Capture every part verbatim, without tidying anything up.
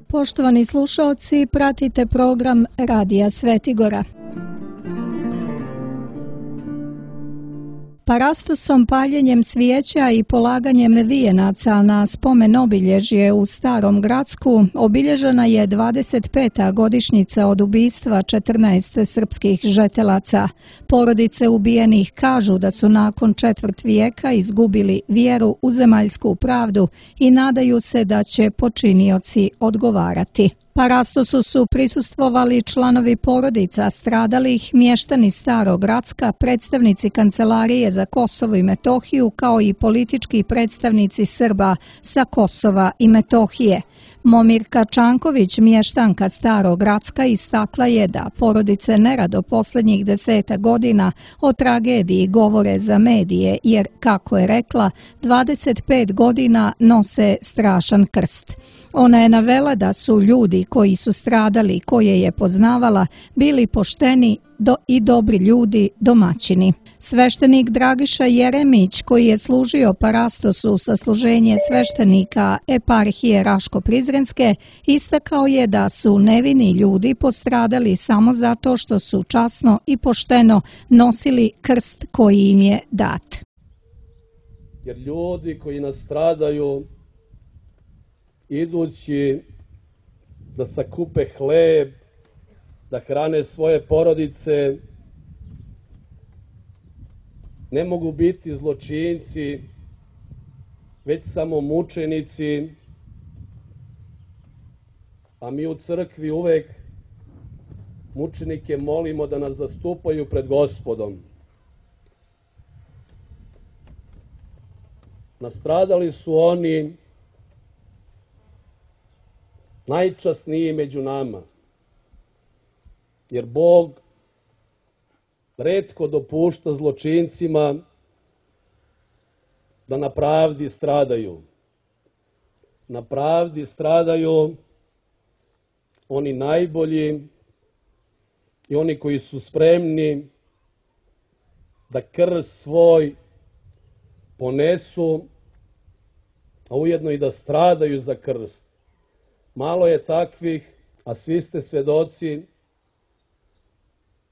Poštovani slušaoci, pratite program Radija Svetigora. Parastosom, paljenjem svijeća i polaganjem vijenaca na spomen obilježje u Starom Gracku obilježena je dvadeset peta godišnjica od ubistva četrnaest srpskih žetelaca. Porodice ubijenih kažu da su nakon četvrt vijeka izgubili vjeru u zemaljsku pravdu i nadaju se da će počinioci odgovarati. Parastosu su prisustvovali članovi porodica stradalih, mještani Starog Gracka, predstavnici Kancelarije za Kosovo i Metohiju, kao i politički predstavnici Srba sa Kosova i Metohije. Momirka Čanković, mještanka Starog Gracka, istakla je da porodice nerado posljednjih deseta godina o tragediji govore za medije, jer, kako je rekla, dvadeset pet godina nose strašan krst. Ona je navela da su ljudi koji su stradali, koje je poznavala, bili pošteni do i dobri ljudi, domaćini. Sveštenik Dragiša Jeremić, koji je služio Parastosu sa služenje sveštenika eparhije Raško-Prizrenske, istakao je da su nevini ljudi postradali samo zato što su časno i pošteno nosili krst koji im je dat. Jer ljudi koji nastradaju idući da sakupe hleb, da hrane svoje porodice, ne mogu biti zločinci, već samo mučenici, a mi u crkvi uvek mučenike molimo da nas zastupaju pred Gospodom. Nastradali su oni najčasniji među nama, jer Bog retko dopušta zločincima da na pravdi stradaju. Na pravdi stradaju oni najbolji i oni koji su spremni da krst svoj ponesu, a ujedno i da stradaju za krst. Malo je takvih, a svi ste svedoci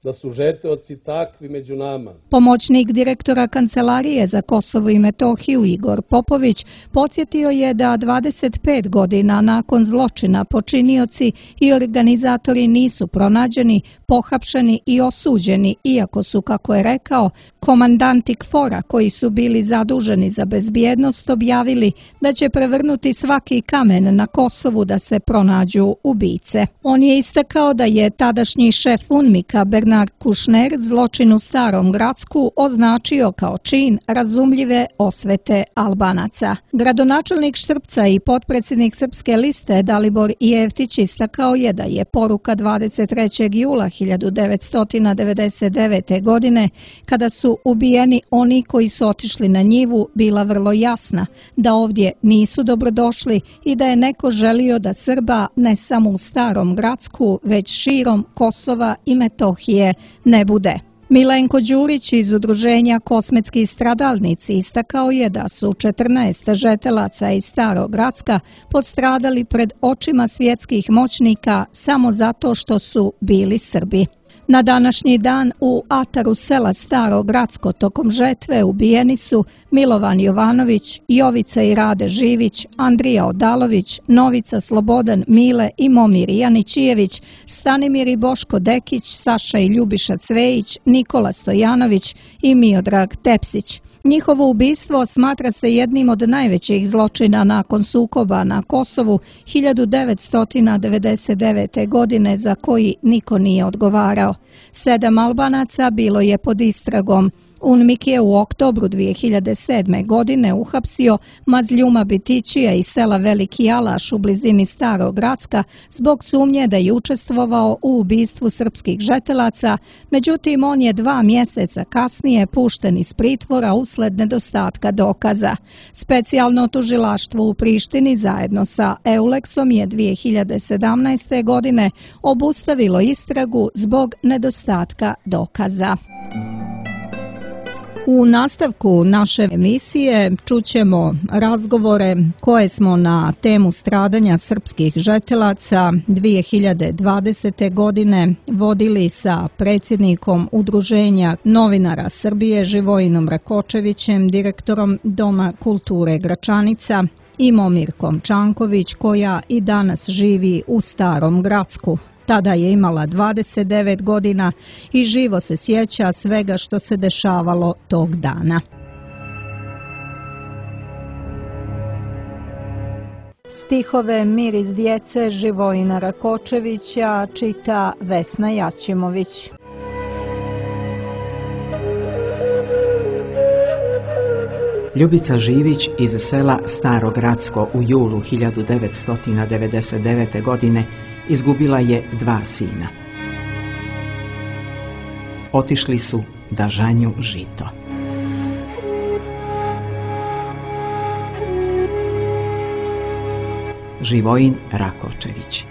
da su žeteoci takvi među nama. Pomoćnik direktora Kancelarije za Kosovo i Metohiju Igor Popović podsjetio je da dvadeset pet godina nakon zločina počinioci i organizatori nisu pronađeni, pohapšeni i osuđeni, iako su, kako je rekao, komandanti KFOR-a koji su bili zaduženi za bezbjednost objavili da će prevrnuti svaki kamen na Kosovu da se pronađu ubice. On je istakao da je tadašnji šef UNMIK-a Bernard Kušner zločin u Starom Gracku označio kao čin razumljive osvete Albanaca. Gradonačelnik Štrpca i potpredsjednik Srpske liste Dalibor Jeftić istakao je da je poruka dvadeset trećeg jula hiljadu devetsto devedeset devete. godine, kada su ubijeni oni koji su otišli na njivu, bila vrlo jasna, da ovdje nisu dobrodošli i da je neko želio da Srba ne samo u Starom Gracku, već širom Kosova i Metohije ne bude. Milenko Đurić iz udruženja Kosmetski stradalnici istakao je da su četrnaest žetelaca iz Starog Gracka postradali pred očima svjetskih moćnika samo zato što su bili Srbi. Na današnji dan u ataru sela Staro Gracko tokom žetve ubijeni su Milovan Jovanović, Jovica i Rade Živić, Andrija Odalović, Novica Slobodan Mile i Momir Janićijević, Stanimir i Boško Dekić, Saša i Ljubiša Cvejić, Nikola Stojanović i Miodrag Tepsić. Njihovo ubistvo smatra se jednim od najvećih zločina nakon sukoba na Kosovu hiljadu devetsto devedeset devete. godine za koji niko nije odgovarao. Sedam Albanaca bilo je pod istragom. UNMIK je u oktobru dvije hiljade sedme. godine uhapsio Mazljuma Bitićija iz sela Veliki Alaš u blizini Starog Gracka zbog sumnje da je učestvovao u ubistvu srpskih žetelaca, međutim on je dva mjeseca kasnije pušten iz pritvora usled nedostatka dokaza. Specijalno tužilaštvo u Prištini zajedno sa Euleksom je dvije hiljade sedamnaeste. godine obustavilo istragu zbog nedostatka dokaza. U nastavku naše emisije čućemo razgovore koje smo na temu stradanja srpskih žetelaca dvije hiljade dvadesete. godine vodili sa predsjednikom Udruženja novinara Srbije Živojinom Rakočevićem, direktorom Doma kulture Gračanica, i Momirkom Čanković, koja i danas živi u Starom Gracku. Tada je imala dvadeset devet godina i živo se sjeća svega što se dešavalo tog dana. Stihove Miris djece Živojina Rakočevića čita Vesna Jaćimović. Ljubica Živić iz sela Staro Gracko u julu hiljadu devetsto devedeset devete. godine izgubila je dva sina. Otišli su da žanju žito. Živojin Rakočević.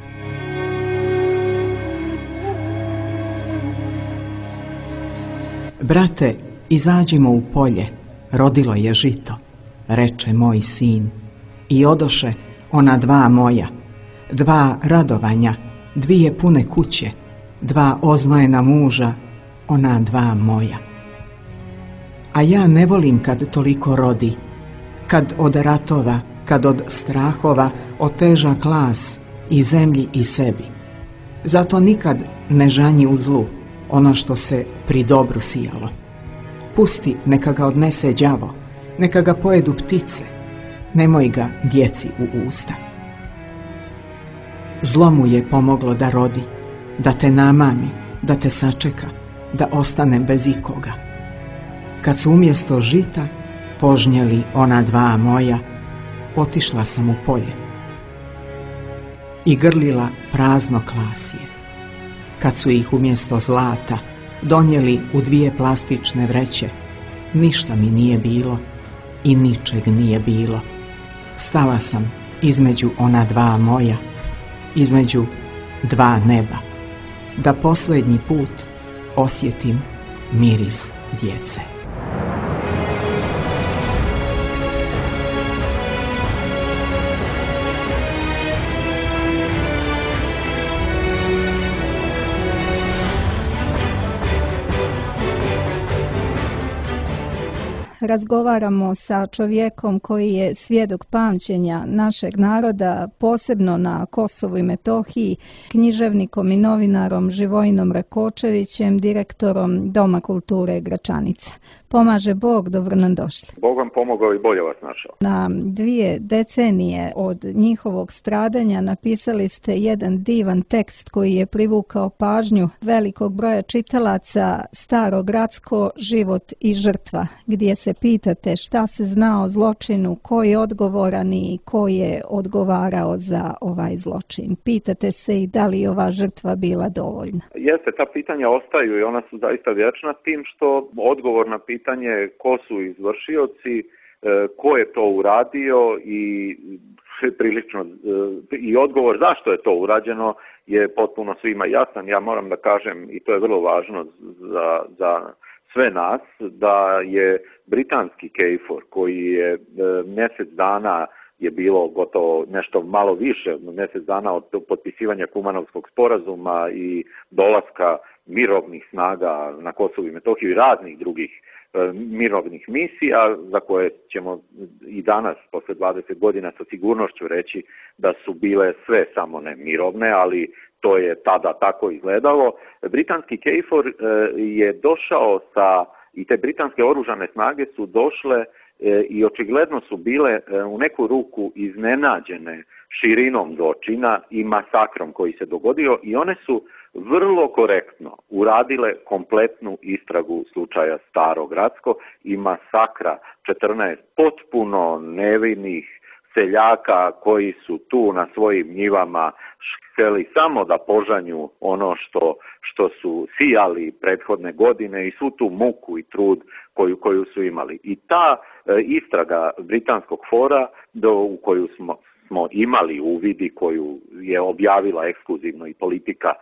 Brate, izađimo u polje, rodilo je žito, reče moj sin, i odoše ona dva moja, dva radovanja, dvije pune kuće, dva oznojena muža, ona dva moja. A ja ne volim kad toliko rodi, kad od ratova, kad od strahova oteža klas i zemlji i sebi. Zato nikad ne žanji u zlu ono što se pri dobru sijalo. Pusti neka ga odnese đavo, neka ga pojedu ptice, nemoj ga djeci u usta. Zlo mu je pomoglo da rodi, da te namami, da te sačeka, da ostane bez ikoga. Kad su umjesto žita požnjeli ona dva moja, otišla sam u polje i grlila prazno klasje. Kad su ih umjesto zlata donijeli u dvije plastične vreće, ništa mi nije bilo i ničeg nije bilo. Stala sam između ona dva moja, između dva neba, da posljednji put osjetim miris djece. Razgovaramo sa čovjekom koji je svjedok pamćenja našeg naroda, posebno na Kosovu i Metohiji, književnikom i novinarom Živojinom Rakočevićem, direktorom Doma kulture Gračanica. Pomaže Bog, dobro nam došli. Bog vam pomogao i bolje vas našao. Na dvije decenije od njihovog stradanja napisali ste jedan divan tekst koji je privukao pažnju velikog broja čitalaca, Staro Gracko, život i žrtva, gdje se pitate šta se zna o zločinu, ko je odgovoran i ko je odgovarao za ovaj zločin. Pitate se i da li je ova žrtva bila dovoljna. Jeste, ta pitanja ostaju i ona su zaista vječna, s tim što odgovor na pitanje pitanje ko su izvršioci, ko je to uradio i prilično i odgovor zašto je to urađeno je potpuno svima jasan. Ja moram da kažem, i to je vrlo važno za, za sve nas, da je britanski KFOR koji je mjesec dana je bilo gotovo nešto malo više, mjesec dana od potpisivanja Kumanovskog sporazuma i dolaska mirovnih snaga na Kosovu i Metohiju i raznih drugih e, mirovnih misija, za koje ćemo i danas, posle dvadeset godina, sa sigurnošću reći da su bile sve samo ne mirovne, ali to je tada tako izgledalo. Britanski KFOR e, je došao sa, i te britanske oružane snage su došle e, i očigledno su bile e, u neku ruku iznenađene širinom zločina i masakrom koji se dogodio i one su vrlo korektno uradile kompletnu istragu slučaja Staro Gracko i masakra četrnaest potpuno nevinih seljaka koji su tu na svojim njivama htjeli samo da požanju ono što, što su sijali prethodne godine i svu tu muku i trud koju, koju su imali. I ta e, istraga britanskog fora do, u koju smo smo imali u vidi koju je objavila ekskluzivno i Politika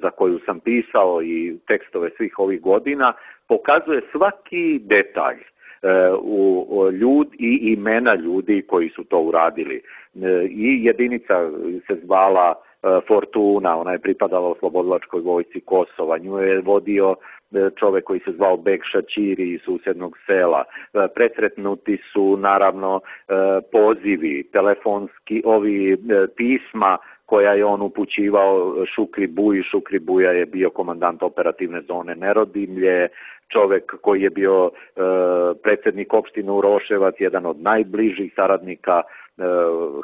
za koju sam pisao i tekstove svih ovih godina, pokazuje svaki detalj u ljud i imena ljudi koji su to uradili. I jedinica se zvala Fortuna, ona je pripadala Oslobodilačkoj vojsci Kosova, nju je vodio čovek koji se zvao Bek Šačiri iz susednog sela. Presretnuti su naravno pozivi, telefonski, ovi pisma koja je on upućivao Šukri Buji. Šukri Buja je bio komandant operativne zone Nerodimlje, čovek koji je bio e, predsjednik opštine Uroševac, jedan od najbližih saradnika e,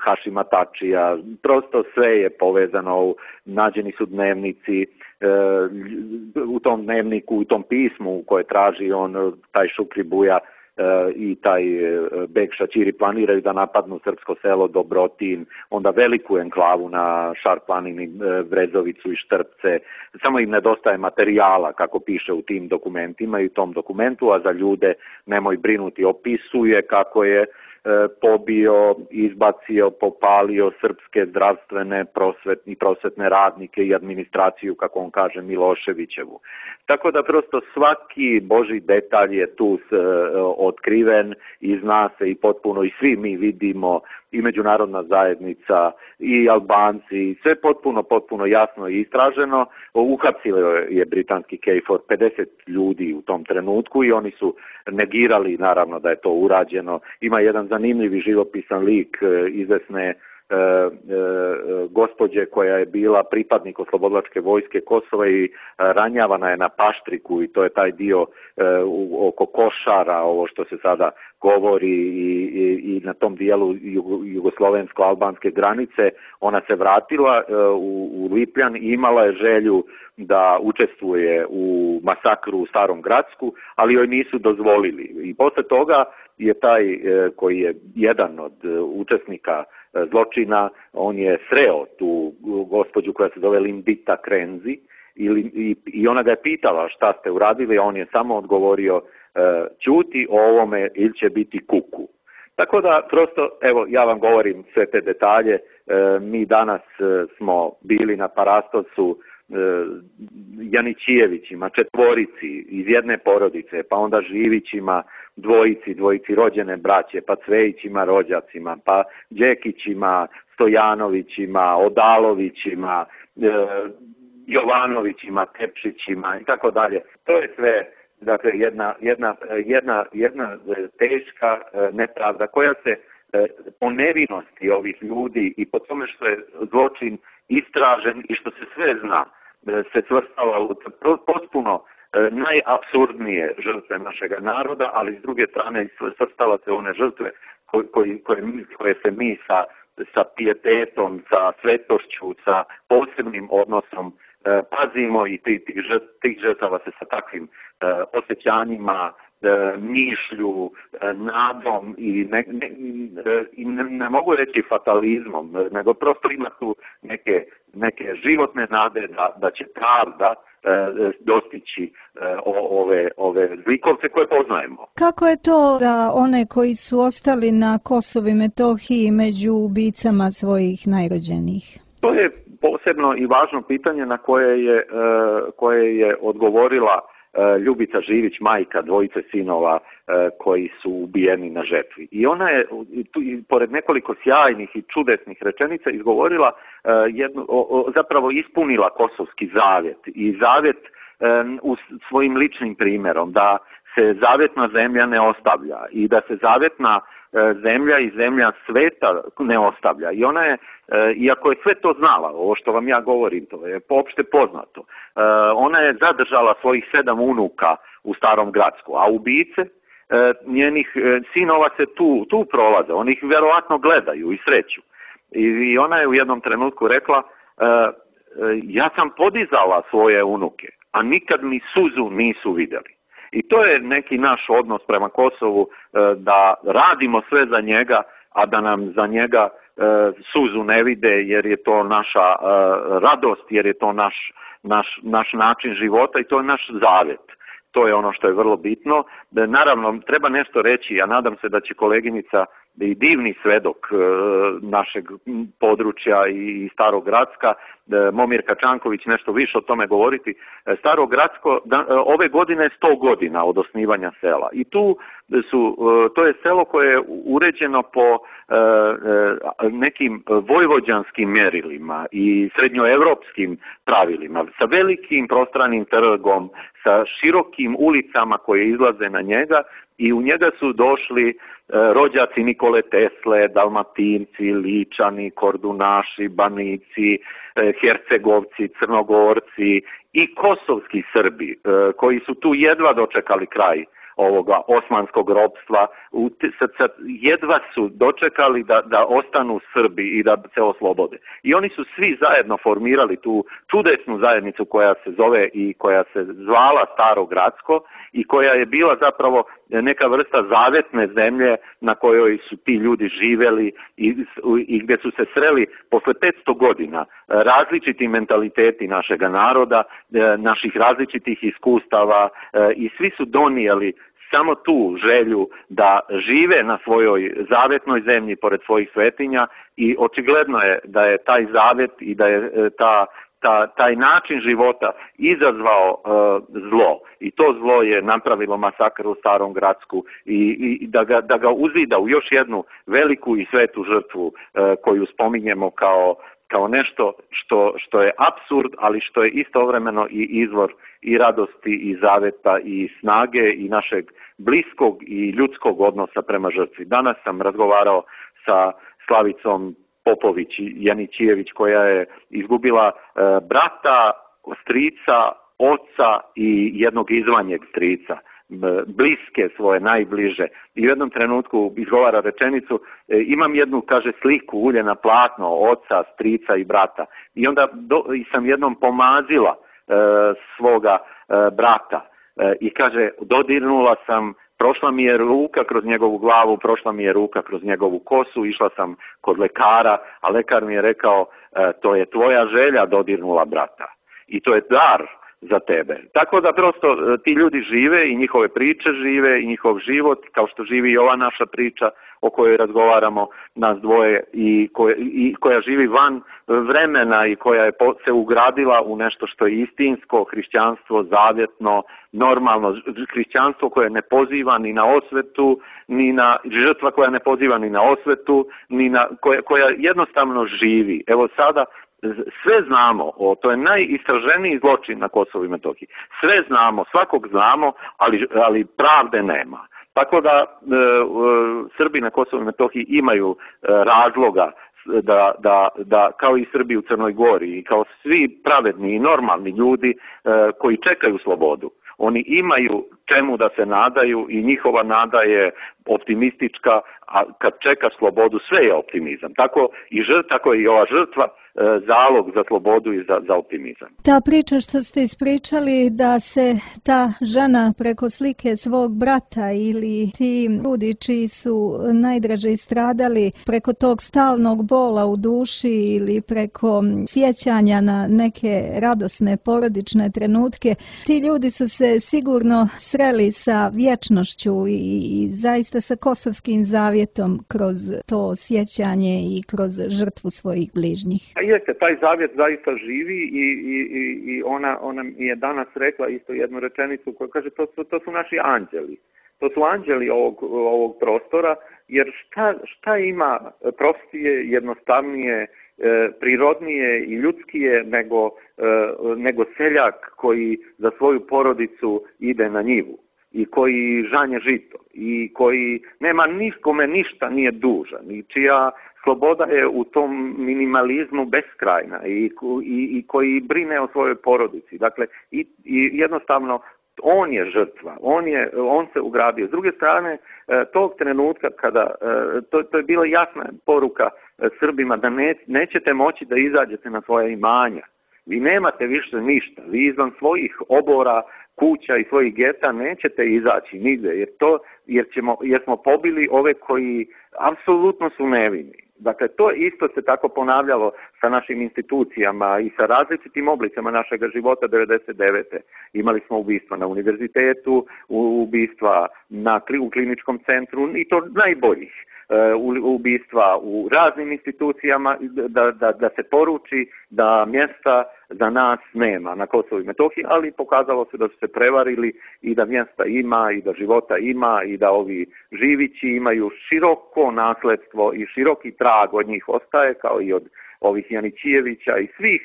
Hašima Tačija. Prosto sve je povezano, nađeni su dnevnici, e, u tom dnevniku, u tom pismu koje traži on, taj Šukri Buja i taj Bek Šačiri planiraju da napadnu srpsko selo Dobrotin, onda veliku enklavu na Šar planini, Brezovicu i Štrpce. Samo im nedostaje materijala, kako piše u tim dokumentima i u tom dokumentu, a za ljude nemoj brinuti, opisuje kako je pobio, izbacio, popalio srpske zdravstvene prosvetni, prosvetne radnike i administraciju, kako on kaže, Miloševićevu. Tako da prosto svaki božji detalj je tu s, otkriven i zna se i potpuno i svi mi vidimo, i međunarodna zajednica i Albanci, sve potpuno, potpuno jasno i istraženo. Uhapsilo je britanski K F O R pedeset ljudi u tom trenutku i oni su negirali naravno da je to urađeno. Ima jedan zanimljivi živopisan lik izvesne E, e, gospođe koja je bila pripadnik Oslobodilačke vojske Kosova i ranjavana je na Paštriku, i to je taj dio e, u, oko Košara, ovo što se sada govori, i, i, i na tom dijelu jugoslovensko-albanske granice. Ona se vratila e, u, u Lipljan i imala je želju da učestvuje u masakru u Starom Gradsku, ali joj nisu dozvolili. I posle toga je taj e, koji je jedan od e, učesnika zločina, on je sreo tu gospođu koja se zove Lindita Krenzi i, i, i ona ga je pitala šta ste uradili, a on je samo odgovorio ćuti o ovome ili će biti kuku. Tako da prosto, evo, ja vam govorim sve te detalje. Mi danas smo bili na Parastovcu Janićijevićima, četvorici iz jedne porodice, pa onda Živićima, dvojici, dvojici rođene braće, pa Cvejićima, rođacima, pa Đekićima, Stojanovićima, Odalovićima, e, Jovanovićima, Tepšićima i tako dalje. To je sve, dakle, jedna, jedna, jedna, jedna teška nepravda koja se po nevinosti ovih ljudi i po tome što je zločin istražen i što se sve zna, se svrstava u potpuno najapsurdnije žrtve našega naroda, ali s druge strane svrstava se one žrtve koje, koje, koje se mi sa, sa pijetetom, sa svetošću, sa posebnim odnosom pazimo, i tih, tih žrtava se sa takvim osjećanjima, mišlju, nadom i ne, ne, ne, ne mogu reći fatalizmom, nego prosto ima tu neke, neke životne nade da, da će pravda e, dostići e, ove, ove zlikovce koje poznajemo. Kako je to da one koji su ostali na Kosovu i Metohiji među ubicama svojih najrođenijih? To je posebno i važno pitanje na koje je, e, koje je odgovorila Ljubica Živić, majka dvojice sinova koji su ubijeni na žetvi. I ona je, tu, pored nekoliko sjajnih i čudesnih rečenica, izgovorila jednu, o, zapravo ispunila kosovski zavjet. I zavjet u svojim ličnim primjerom, da se zavjetna zemlja ne ostavlja i da se zavjetna zemlja i zemlja sveta ne ostavlja. I ona je, iako je sve to znala, ovo što vam ja govorim, to je opšte poznato, ona je zadržala svojih sedam unuka u Starom Gradsku, a ubice njenih sinova se tu, tu prolaze, oni ih vjerovatno gledaju i sreću. I ona je u jednom trenutku rekla, ja sam podizala svoje unuke, a nikad mi suzu nisu vidjeli. I to je neki naš odnos prema Kosovu, da radimo sve za njega, a da nam za njega suzu ne vide, jer je to naša radost, jer je to naš, naš, naš način života i to je naš zavjet. To je ono što je vrlo bitno. Naravno, treba nešto reći, ja nadam se da će koleginica i divni svedok našeg područja i Starog Gracka, Momir Kačanković nešto više o tome govoriti. Staro Gracko ove godine je sto godina od osnivanja sela i tu su, to je selo koje je uređeno po nekim vojvođanskim mjerilima i srednjoevropskim pravilima, sa velikim prostranim trgom, sa širokim ulicama koje izlaze na njega i u njega su došli rođaci Nikole Tesle, Dalmatinci, Ličani, Kordunaši, Banici, Hercegovci, Crnogorci i kosovski Srbi koji su tu jedva dočekali kraj ovoga osmanskog ropstva, jedva su dočekali da, da ostanu Srbi i da se oslobode. I oni su svi zajedno formirali tu čudesnu zajednicu koja se zove i koja se zvala Staro Gracko i koja je bila zapravo neka vrsta zavetne zemlje na kojoj su ti ljudi živeli i, i gdje su se sreli posle petsto godina različiti mentaliteti našega naroda, naših različitih iskustava i svi su donijeli samo tu želju da žive na svojoj zavetnoj zemlji pored svojih svetinja i očigledno je da je taj zavet i da je ta, ta, taj način života izazvao uh, zlo i to zlo je napravilo masakr u Starom Gracku i, i da, ga, da ga uzida u još jednu veliku i svetu žrtvu uh, koju spominjemo kao kao nešto što, što je apsurd, ali što je istovremeno i izvor i radosti i zaveta i snage i našeg bliskog i ljudskog odnosa prema žrtvi. Danas sam razgovarao sa Slavicom Popović Janićijević koja je izgubila e, brata, strica, oca i jednog izvanjeg strica, bliske svoje, najbliže. I u jednom trenutku izgovara rečenicu, e, imam jednu, kaže, sliku ulje na platno oca, strica i brata. I onda do, i sam jednom pomazila e, svoga e, brata e, i kaže, dodirnula sam, prošla mi je ruka kroz njegovu glavu, prošla mi je ruka kroz njegovu kosu, išla sam kod lekara, a lekar mi je rekao, e, to je tvoja želja dodirnula brata. I to je dar za tebe. Tako da prosto ti ljudi žive i njihove priče žive i njihov život, kao što živi i ova naša priča o kojoj razgovaramo nas dvoje i koja, i koja živi van vremena i koja je se ugradila u nešto što je istinsko, hrišćanstvo, zavjetno, normalno, hrišćanstvo koje ne poziva ni na osvetu, ni na žrtva koja ne poziva ni na osvetu, ni na, koja, koja jednostavno živi. Evo sada sve znamo, o, to je najistraženiji zločin na Kosovu i Metohiji. Sve znamo, svakog znamo, ali, ali pravde nema. Tako da e, e, Srbi na Kosovu i Metohiji imaju e, razloga da, da, da, kao i Srbi u Crnoj Gori i kao svi pravedni i normalni ljudi e, koji čekaju slobodu, oni imaju čemu da se nadaju i njihova nada je optimistička, a kad čekaš slobodu sve je optimizam. Tako i žrt, tako i ova žrtva zalog za slobodu i za, za optimizam. Ta priča što ste ispričali da se ta žena preko slike svog brata ili ti ljudi čiji su najdraže stradali preko tog stalnog bola u duši ili preko sjećanja na neke radosne porodične trenutke, ti ljudi su se sigurno sreli sa vječnošću i, i zaista sa kosovskim zavjetom kroz to sjećanje i kroz žrtvu svojih bližnjih. A jeste, taj zavjet zaista živi i, i, i ona, ona mi je danas rekla isto jednu rečenicu koja kaže to su, to su naši anđeli. To su anđeli ovog, ovog prostora, jer šta, šta ima prostije, jednostavnije, prirodnije i ljudskije nego, nego seljak koji za svoju porodicu ide na njivu i koji žanje žito i koji nema nikome ništa nije dužan i čija sloboda je u tom minimalizmu beskrajna i, i, i koji brine o svojoj porodici. Dakle, i, i jednostavno on je žrtva, on, je, on se ugradio. S druge strane, tog trenutka kada, to, to je bila jasna poruka Srbima da ne, nećete moći da izađete na svoje imanja. Vi nemate više ništa. Vi izvan svojih obora, kuća i svojih geta nećete izaći nigde, jer, to, jer, ćemo, jer smo pobili ove koji apsolutno su nevini. Dakle, to isto se tako ponavljalo sa našim institucijama i sa različitim oblicama našega života devedeset devete. Imali smo ubistva na univerzitetu, ubistva na, u kliničkom centru i to najboljih. ubistva u raznim institucijama, da, da, da se poruči da mjesta za nas nema na Kosovu i Metohiji, ali pokazalo se da su se prevarili i da mjesta ima i da života ima i da ovi živići imaju široko nasledstvo i široki trag od njih ostaje, kao i od ovih Janićijevića i svih.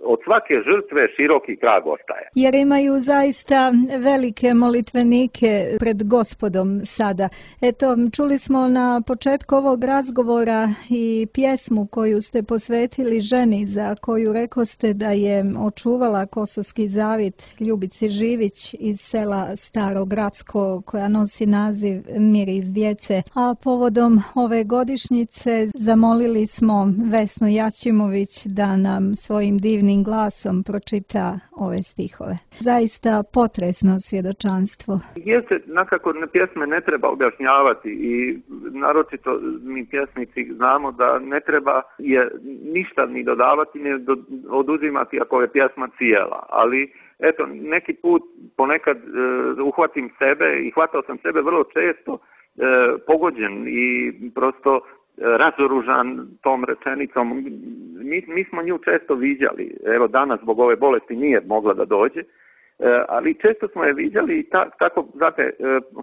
Od svake žrtve široki trag ostaje. Jer imaju zaista velike molitvenike pred Gospodom sada. Eto, čuli smo na početku ovog razgovora i pjesmu koju ste posvetili ženi, za koju rekoste da je očuvala Kosovski zavjet, Ljubici Živić iz sela Staro Gradsko, koja nosi naziv Miris djece. A povodom ove godišnjice zamolili smo Vesnu Jačimović da nam svojim divnim glasom pročita ove stihove. Zaista potresno svjedočanstvo. Jeste, nakako na pjesme ne treba objašnjavati i naročito mi pjesnici znamo da ne treba je ništa ni dodavati, ni oduzimati ako je pjesma cijela, ali eto, neki put ponekad uh, uhvatim sebe i hvatao sam sebe vrlo često uh, pogođen i prosto razoružan tom rečenicom. Mi, mi smo nju često viđali, evo danas zbog ove bolesti nije mogla da dođe, ali često smo je viđali i ta, tako, znate,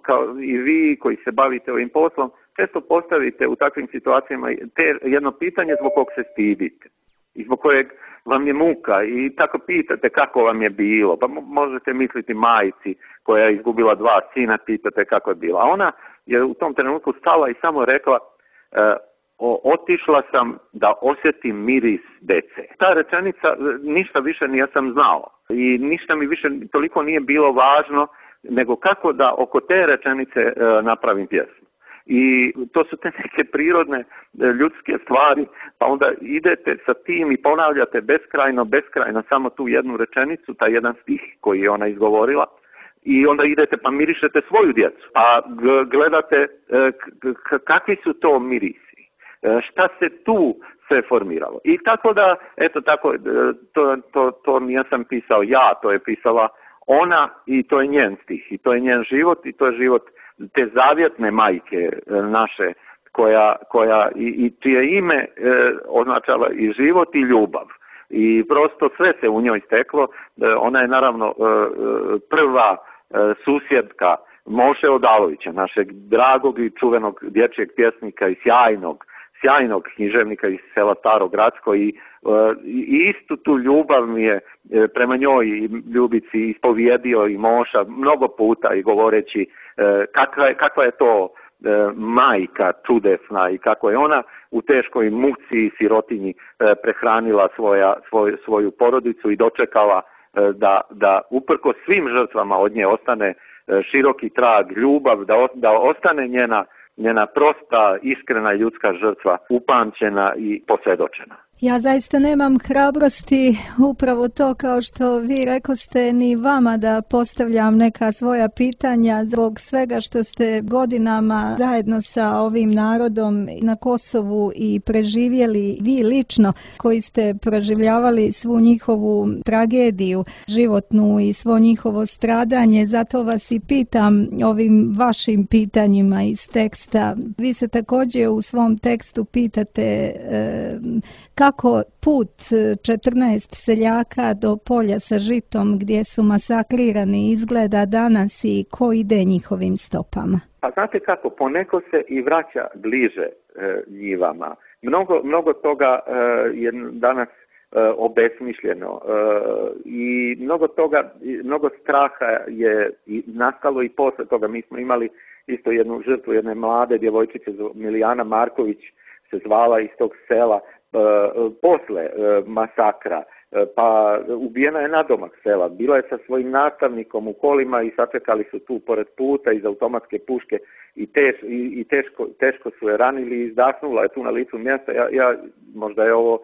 kao i vi koji se bavite ovim poslom, često postavite u takvim situacijama te jedno pitanje zbog kog se stidite i zbog kojeg vam je muka i tako pitate kako vam je bilo, pa možete misliti majci koja je izgubila dva sina, pitate kako je bilo. A ona je u tom trenutku stala i samo rekla: O, otišla sam da osjetim miris dece. Ta rečenica, ništa više nisam znao i ništa mi više toliko nije bilo važno nego kako da oko te rečenice e, napravim pjesmu. I to su te neke prirodne ljudske stvari, pa onda idete sa tim i ponavljate beskrajno, beskrajno samo tu jednu rečenicu, taj jedan stih koji je ona izgovorila. I onda idete pa mirišete svoju djecu, pa gledate e, k- kakvi su to mirisi. Šta se tu sve formiralo. I tako da, eto tako, to, to, to nisam pisao ja, to je pisala ona i to je njen stih. I to je njen život i to je život te zavjetne majke naše, koja, koja i, i čije ime e, označava i život i ljubav. I prosto sve se u njoj steklo. E, ona je naravno e, prva e, susjedka Moše Odalovića, našeg dragog i čuvenog dječjeg pjesnika i sjajnog sjajnog književnika iz sela Staro Gradsko i, i istu tu ljubav mi je prema njoj i Ljubici ispovjedio i Moša mnogo puta i govoreći kakva je, kakva je to majka čudesna i kako je ona u teškoj muci i sirotinji prehranila svoja, svoj, svoju porodicu i dočekala da, da uprko svim žrtvama od nje ostane široki trag, ljubav, da, da ostane njena njena prosta, iskrena ljudska žrtva upamćena i posvjedočena. Ja zaista nemam hrabrosti upravo to, kao što vi rekoste, ni vama da postavljam neka svoja pitanja zbog svega što ste godinama zajedno sa ovim narodom na Kosovu i preživjeli vi lično, koji ste proživljavali svu njihovu tragediju životnu i svo njihovo stradanje. Zato vas i pitam ovim vašim pitanjima iz teksta. Vi se također u svom tekstu pitate e, kako put četrnaest seljaka do polja sa žitom gdje su masakrirani izgleda danas i ko ide njihovim stopama? Pa znate kako, poneko se i vraća bliže e, njivama. Mnogo, mnogo toga e, je danas e, obesmišljeno e, i mnogo toga, mnogo straha je i nastalo i posle toga. Mi smo imali isto jednu žrtvu, jedne mlade djevojčice, Milijana Marković se zvala, iz tog sela. Uh, posle uh, masakra, uh, pa ubijena je nadomak sela, bila je sa svojim nastavnikom u kolima i sačekali su tu pored puta iz automatske puške i, teš, i, i teško, teško su je ranili i izdahnula je tu na licu mjesta. Ja, ja, možda je ovo uh,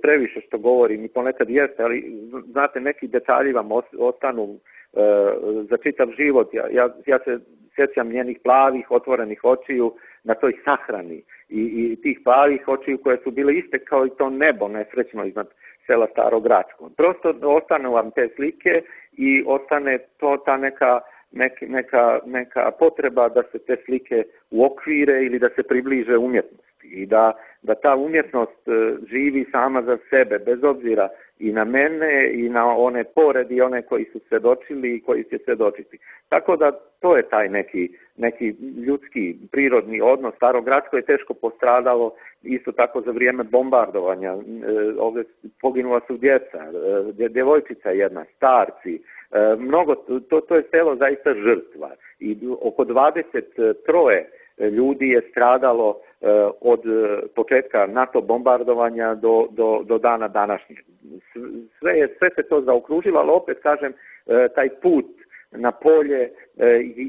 previše što govorim i ponekad jeste, ali znate, neki detalji vam ostanu uh, za čitav život. Ja, ja, ja se sjećam njenih plavih, otvorenih očiju na toj sahrani i, i tih plavih očiju koje su bile iste kao i to nebo nesrećno iznad sela Staro Gradsko. Prosto ostanu vam te slike i ostane to ta neka nek, neka, neka potreba da se te slike uokvire ili da se približe umjetnosti i da, da ta umjetnost živi sama za sebe, bez obzira i na mene i na one pored i one koji su svjedočili i koji će svjedočiti. Tako da to je taj neki, neki ljudski, prirodni odnos. Starogradsko je teško postradalo isto tako za vrijeme bombardovanja. Ovdje poginula su djeca, djevojčica jedna, starci. Mnogo, to, to je selo zaista žrtva i oko dvadeset tri ljudi je stradalo od početka NATO bombardovanja do, do, do dana današnjeg. Sve, je, sve se to zaokružilo, ali opet kažem, taj put na polje,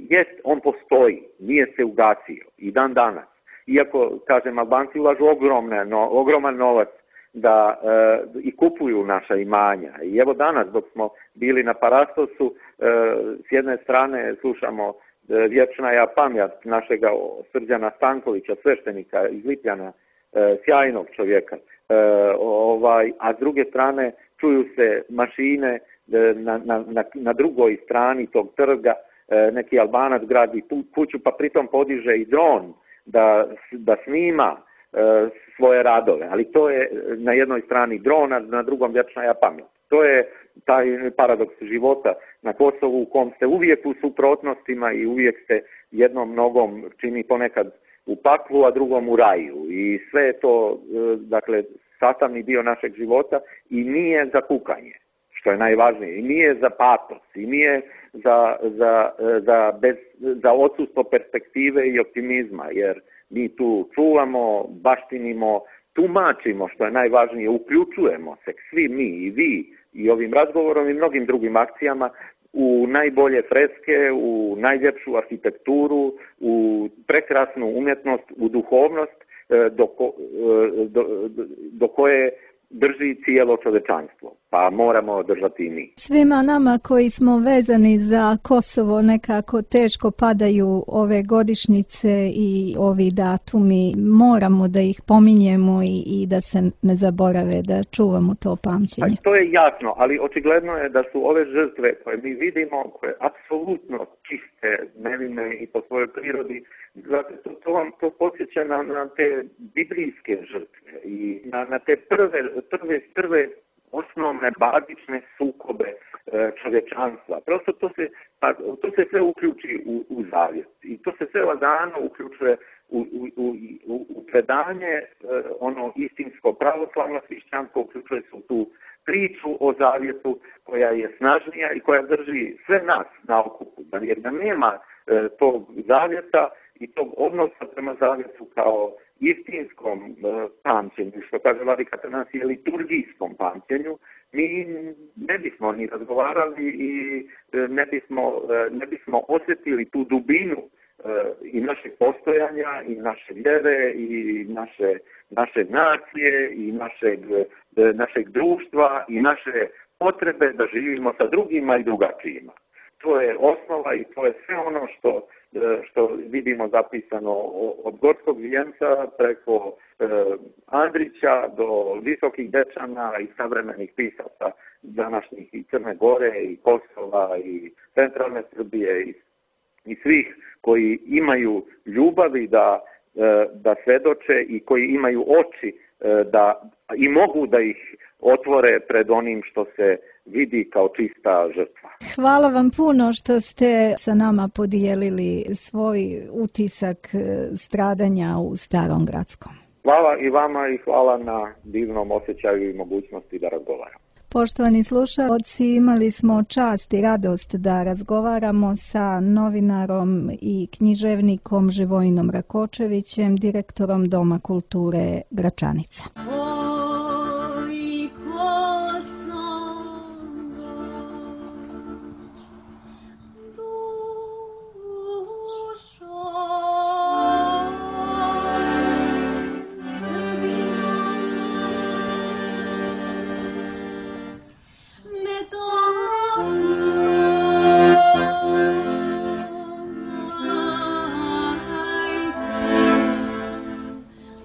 jest, on postoji, nije se ugasio i dan danas. Iako, kažem, Albanci ulažu ogromne, no, ogroman novac da e, i kupuju naša imanja. I evo danas, dok smo bili na Parastosu, e, s jedne strane slušamo e, vječna ja pamjat našega Srđana Stankovića, sveštenika iz Lipljana, e, sjajnog čovjeka, e, ovaj, a s druge strane čuju se mašine e, na, na, na, na drugoj strani tog trga, e, neki Albanac gradi kuću, pa pritom podiže i dron da, da snima e, svoje radove, ali to je na jednoj strani drona, na drugom vječna ja pamjat. To je taj paradoks života na Kosovu u kom ste uvijek u suprotnostima i uvijek ste jednom nogom čini ponekad u paklu, a drugom u raju. I sve je to, dakle, sastavni dio našeg života i nije za kukanje, što je najvažnije, i nije za patos, i nije za, za, za, bez, za odsustvo perspektive i optimizma, jer mi tu čuvamo, baštinimo, tumačimo, što je najvažnije, uključujemo se, svi mi i vi, i ovim razgovorom i mnogim drugim akcijama, u najbolje freske, u najljepšu arhitekturu, u prekrasnu umjetnost, u duhovnost do, ko, do, do, do koje drži cijelo čovečanstvo, pa moramo držati i mi. Svima nama koji smo vezani za Kosovo nekako teško padaju ove godišnjice i ovi datumi. Moramo da ih pominjemo i, i da se ne zaborave, da čuvamo to pamćenje. Pa, to je jasno, ali očigledno je da su ove žrtve koje mi vidimo, koje apsolutno čiste, nevine i po svojoj prirodi, dakle, to, to vam to podsjeća na, na te biblijske žrtve i na, na te prve, prve, prve osnovne bazične sukobe e, čovječanstva. Prosto to se, pa, to se sve uključi u, u zavjet i to se sve lagano uključuje u, u, u, u predanje, e, ono istinsko pravoslavno hrišćansko uključuje se u tu priču o zavjetu koja je snažnija i koja drži sve nas na okupu. Jer da nema e, tog zavjeta i tog odnosa prema zavjetu kao istinskom e, pamćenju, što kaže Vladika Atanasije, liturgijskom pamćenju, mi ne bismo ni razgovarali i e, ne, bismo, e, ne bismo osjetili tu dubinu e, i našeg postojanja, i naše vjere, i naše, naše nacije, i našeg, e, našeg društva, i naše potrebe da živimo sa drugima i drugačijima. To je osnova i to je sve ono što što vidimo zapisano od Gorskog vijenca preko e, Andrića do Visokih Dečana i savremenih pisaca današnjih i Crne Gore i Kosova i centralne Srbije i, i svih koji imaju ljubavi da, e, da svedoče i koji imaju oči e, da i mogu da ih otvore pred onim što se vidi kao čista žrtva. Hvala vam puno što ste sa nama podijelili svoj utisak stradanja u Starom Gradskom. Hvala i vama i hvala na divnom osjećaju i mogućnosti da razgovaram. Poštovani slušalci, imali smo čast i radost da razgovaramo sa novinarom i književnikom Živojinom Rakočevićem, direktorom Doma kulture Gračanica.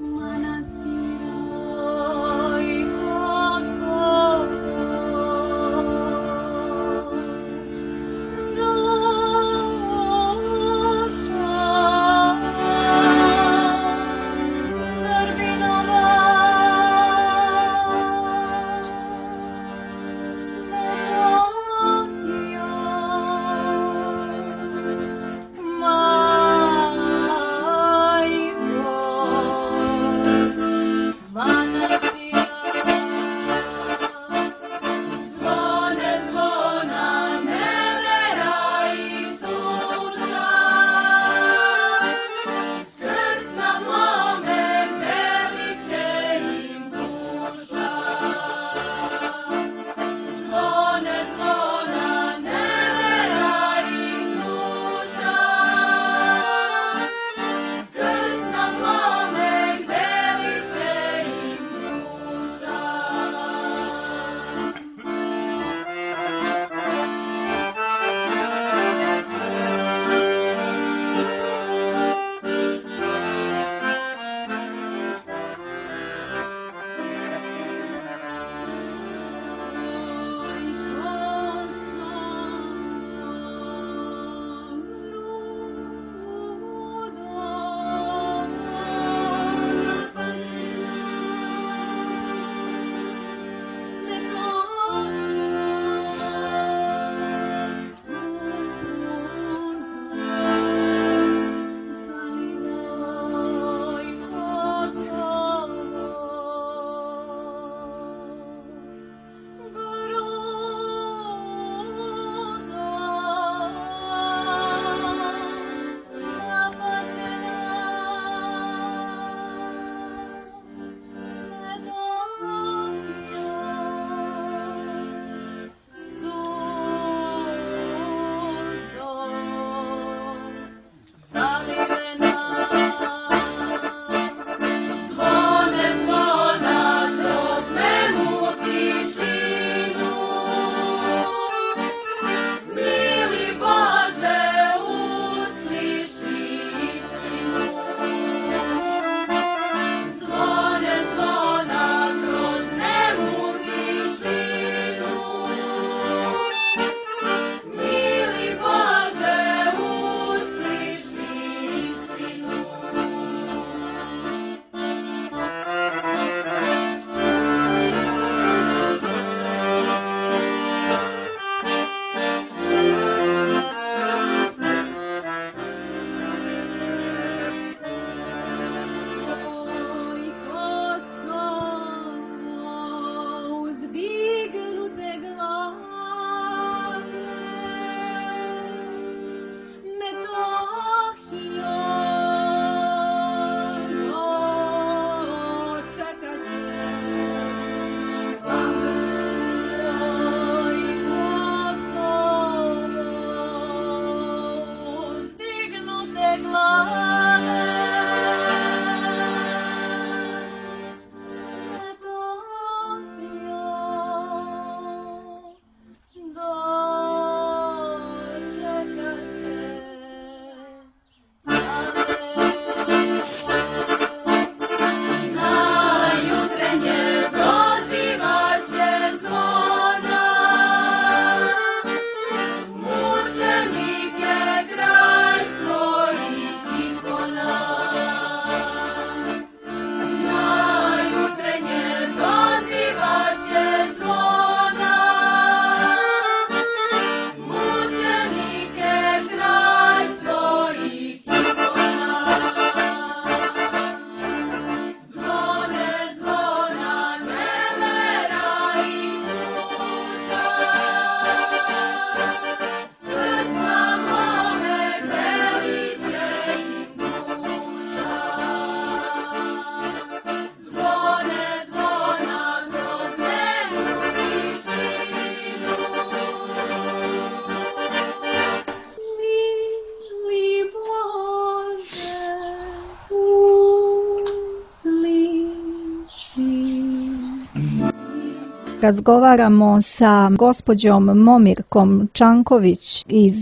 Manasira Razgovaramo sa gospođom Momirkom Čanković iz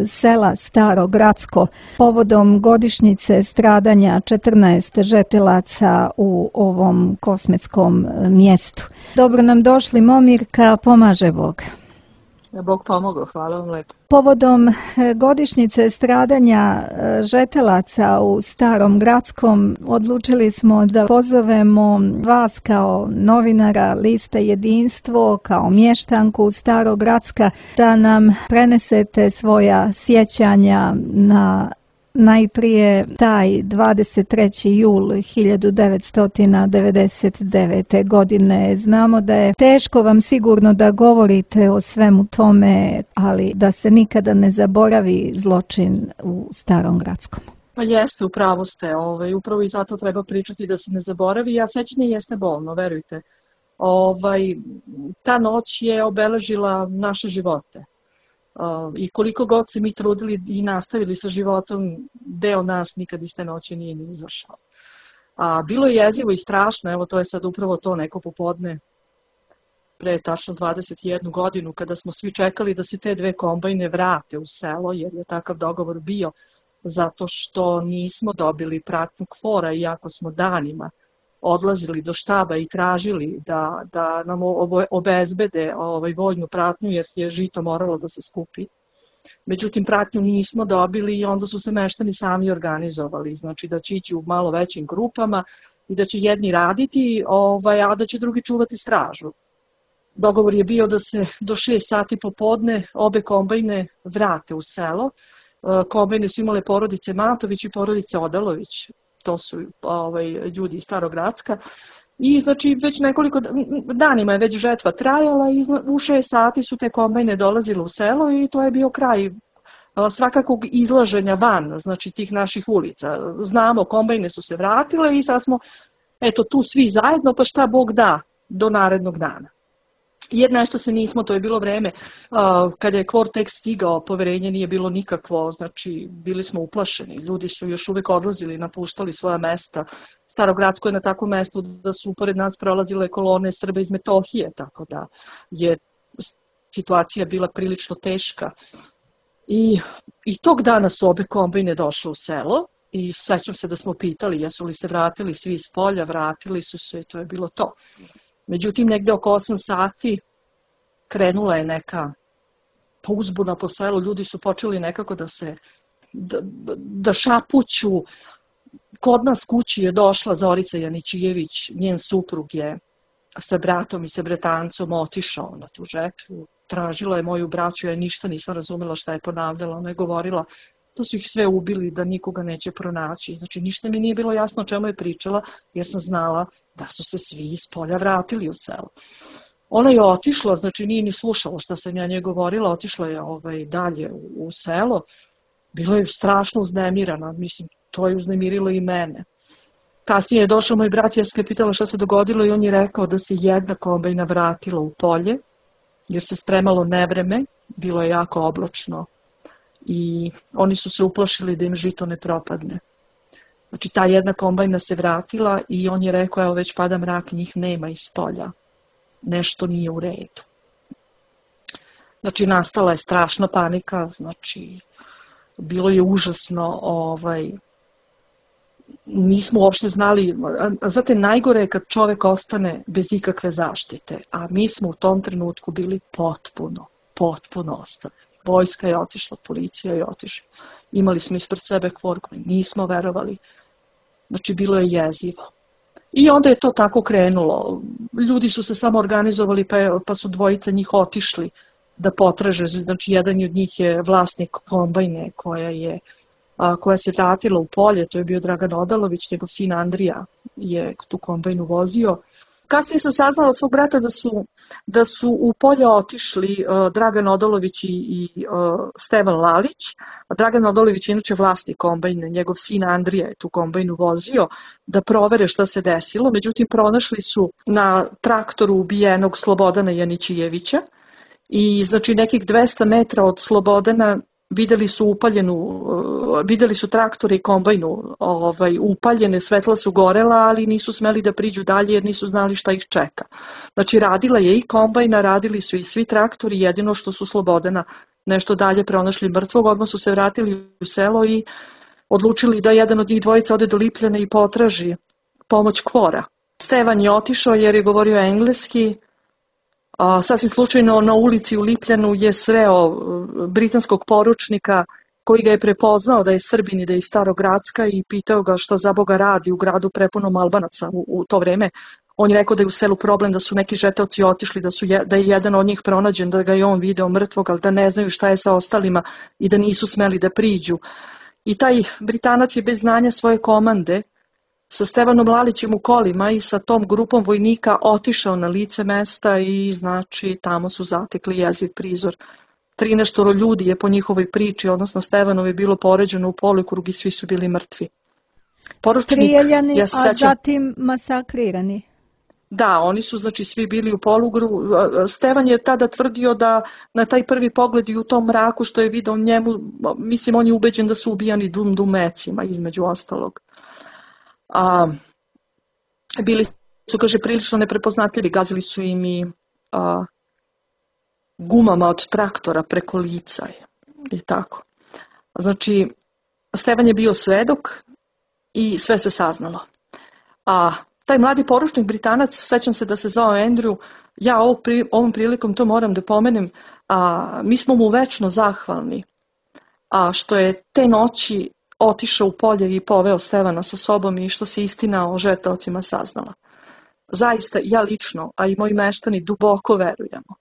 sela Staro Gracko povodom godišnjice stradanja četrnaest žetelaca u ovom kosmetskom mjestu. Dobro nam došli, Momirka, pomaže Bog. Bog pomogao, hvala vam lepo. Povodom godišnjice stradanja žetelaca u Starom Gradskom odlučili smo da pozovemo vas kao novinara Liste Jedinstvo, kao mještanku Starog Gradska, da nam prenesete svoja sjećanja na najprije taj dvadeset treći jul hiljadu devetsto devedeset devete. godine. Znamo da je teško vam sigurno da govorite o svemu tome, ali da se nikada ne zaboravi zločin u Starom Gradskom. Pa jeste, upravo ste. Ovaj, upravo i zato treba pričati da se ne zaboravi, a sećanje jeste bolno, verujte. Ovaj, ta noć je obeležila naše živote. Uh, I koliko god se mi trudili i nastavili sa životom, deo nas nikad iz te noći nije ni izašao. A, bilo je jezivo i strašno, evo to je sad upravo to neko popodne, pre tačno dvadeset jednu godinu, kada smo svi čekali da se te dve kombajne vrate u selo, jer je takav dogovor bio, zato što nismo dobili pratnju KFOR-a, iako smo danima odlazili do štaba i tražili da, da nam obezbede ovaj, vojnu pratnju, jer je žito moralo da se skupi. Međutim, pratnju nismo dobili i onda su se meštani sami organizovali, znači da će ići u malo većim grupama i da će jedni raditi, ovaj, a da će drugi čuvati stražu. Dogovor je bio da se do šest sati popodne obe kombajne vrate u selo. Kombajne su imale porodice Matović i porodice Odalović. To su ovaj, ljudi iz Starog Gracka. I znači već nekoliko danima je već žetva trajala i u šest sati su te kombajne dolazile u selo i to je bio kraj svakakvog izlaženja van, znači tih naših ulica. Znamo, kombajne su se vratile i sad smo eto tu svi zajedno, pa šta Bog da do narednog dana. Jer nešto se nismo, to je bilo vreme uh, kada je KFOR tek stigao, poverenje nije bilo nikakvo, znači bili smo uplašeni, ljudi su još uvek odlazili, napuštali svoja mesta. Starogradsko je na takvom mestu da su pored nas prolazile kolone Srba iz Metohije, tako da je situacija bila prilično teška. I, i tog dana su obe kombajne došle u selo i sećam se da smo pitali jesu li se vratili svi iz polja, vratili su se i to je bilo to. Međutim, negde oko osam sati krenula je neka uzbuna po selu, ljudi su počeli nekako da se, da, da šapuću. Kod nas kući je došla Zorica Janićijević, njen suprug je sa bratom i sa bretancom otišao na tu žetvu, tražila je moju braću, ja ništa nisam razumela šta je ponavljala, ona je govorila da su ih sve ubili, da nikoga neće pronaći. Znači, ništa mi nije bilo jasno o čemu je pričala, jer sam znala da su se svi iz polja vratili u selo. Ona je otišla, znači nije ni slušala šta sam ja nje govorila, otišla je ovaj, dalje u, u selo. Bila je strašno uznemirana, mislim, to je uznemirilo i mene. Kasnije je došao moj brat, ja sam ga pitala šta se dogodilo i on je rekao da se jedna kombajna vratila u polje, jer se spremalo nevreme, bilo je jako oblačno. I oni su se uplašili da im žito ne propadne. Znači, ta jedna kombajna se vratila i on je rekao, evo već pada mrak, njih nema iz polja. Nešto nije u redu. Znači, nastala je strašna panika, znači, bilo je užasno, ovaj, nismo uopšte znali, znate, najgore je kad čovek ostane bez ikakve zaštite, a mi smo u tom trenutku bili potpuno, potpuno ostavljeni. Vojska je otišla, policija je otišla. Imali smo ispred sebe KFOR koji nismo verovali. Znači, bilo je jezivo. I onda je to tako krenulo. Ljudi su se samo organizovali, pa, je, pa su dvojica njih otišli da potraže. Znači, jedan od njih je vlasnik kombajne koja, je, a, koja se vratila u polje. To je bio Dragan Odalović, njegov sin Andrija je tu kombajnu vozio. Kasnije sam saznala od svog brata da su, da su u polje otišli uh, Dragan Odalović i, i uh, Stevan Lalić. Dragan Odalović je inače vlasnik kombajne, njegov sin Andrija je tu kombajnu vozio da provere šta se desilo. Međutim, pronašli su na traktoru ubijenog Slobodana Janićijevića i znači nekih dvesta metra od Slobodana videli su upaljenu, videli su traktore i kombajnu ovaj, upaljene, svetla su gorela, ali nisu smeli da priđu dalje jer nisu znali šta ih čeka. Znači radila je i kombajna, radili su i svi traktori, jedino što su Slobodana nešto dalje pronašli mrtvog, odmah su se vratili u selo i odlučili da jedan od njih dvojica ode do Lipljana i potraži pomoć Kvora. Stevan je otišao jer je govorio engleski. A, sasvim slučajno na ulici u Lipljanu je sreo britanskog poručnika koji ga je prepoznao da je Srbin i da je iz Starogradska i pitao ga šta za Boga radi u gradu prepunom Albanaca u, u to vreme. On je rekao da je u selu problem, da su neki žeteoci otišli, da, su je, da je jedan od njih pronađen, da ga je on video mrtvog, ali da ne znaju šta je sa ostalima i da nisu smeli da priđu. I taj Britanac je bez znanja svoje komande sa Stevanom Lalićem u kolima i sa tom grupom vojnika otišao na lice mesta i znači tamo su zatekli jeziv prizor. trinaestoro ljudi je po njihovoj priči, odnosno Stevanov je bilo poređeno u polukrug i svi su bili mrtvi. Poručnik, strijeljani, ja a sećam, zatim masakrirani. Da, oni su znači svi bili u polugru. Stevan je tada tvrdio da na taj prvi pogled i u tom mraku što je video njemu, mislim on je ubeđen da su ubijani dum dumecima između ostalog. A, bili su, kaže, prilično neprepoznatljivi, gazili su im i a, gumama od traktora preko lica i tako. Znači, Stevan je bio svedok i sve se saznalo. A taj mladi poručnik Britanac, sećam se da se zvao Andrew, ja ovog pri, ovom prilikom to moram da pomenem, a, mi smo mu večno zahvalni, a što je te noći otišao u polje i poveo Stevana sa sobom i što se istina o žrtvovcima saznala. Zaista, ja lično, a i moji meštani duboko verujemo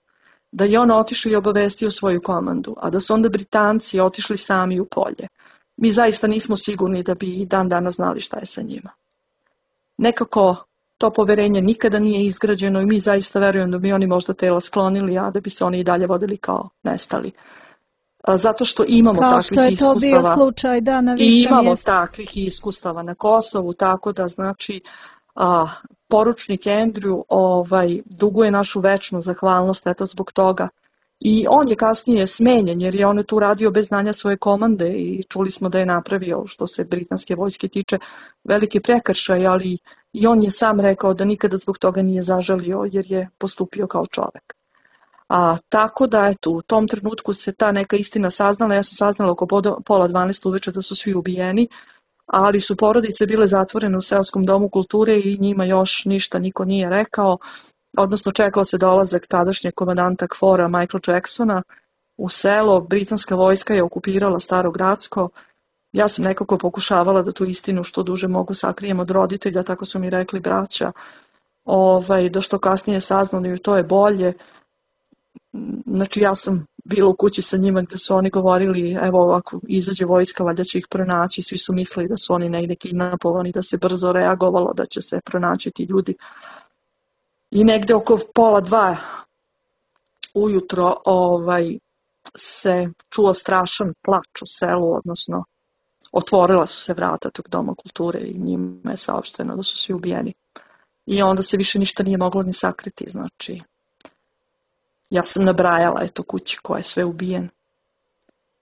da je on otišao i obavestio svoju komandu, a da su onda Britanci otišli sami u polje. Mi zaista nismo sigurni da bi i dan danas znali šta je sa njima. Nekako to poverenje nikada nije izgrađeno i mi zaista verujemo da bi oni možda tela sklonili, a da bi se oni i dalje vodili kao nestali. Zato što imamo kao takvih iskustava. Kao što je to bio slučaj, da, na više I imamo mjesta. takvih iskustava na Kosovu, tako da znači a, poručnik Andrew ovaj, duguje našu večnu zahvalnost eto zbog toga. I on je kasnije smenjen jer je on tu radio bez znanja svoje komande i čuli smo da je napravio, što se britanske vojske tiče, veliki prekršaj, ali i on je sam rekao da nikada zbog toga nije zažalio jer je postupio kao čovek. A, tako da, eto, u tom trenutku se ta neka istina saznala, ja sam saznala oko pola dvanaest uveče da su svi ubijeni, ali su porodice bile zatvorene u seoskom domu kulture i njima još ništa niko nije rekao, odnosno čekao se dolazak tadašnjeg komandanta Kvora Michaela Jacksona u selo, britanska vojska je okupirala Starogradsko, ja sam nekako pokušavala da tu istinu što duže mogu sakrijem od roditelja, tako su mi rekli braća, ovaj, da što kasnije saznali to je bolje. Znači ja sam bila u kući sa njima gde su oni govorili evo ovako izađe vojska, valjda će ih pronaći, svi su mislili da su oni negde kidnapovani, da se brzo reagovalo, da će se pronaći ti ljudi. I negde oko pola dva ujutro ovaj, se čuo strašan plač u selu, odnosno otvorila su se vrata tog doma kulture i njima je saopšteno da su svi ubijeni. I onda se više ništa nije moglo ni sakriti, znači ja sam nabrajala eto kući ko je sve ubijen.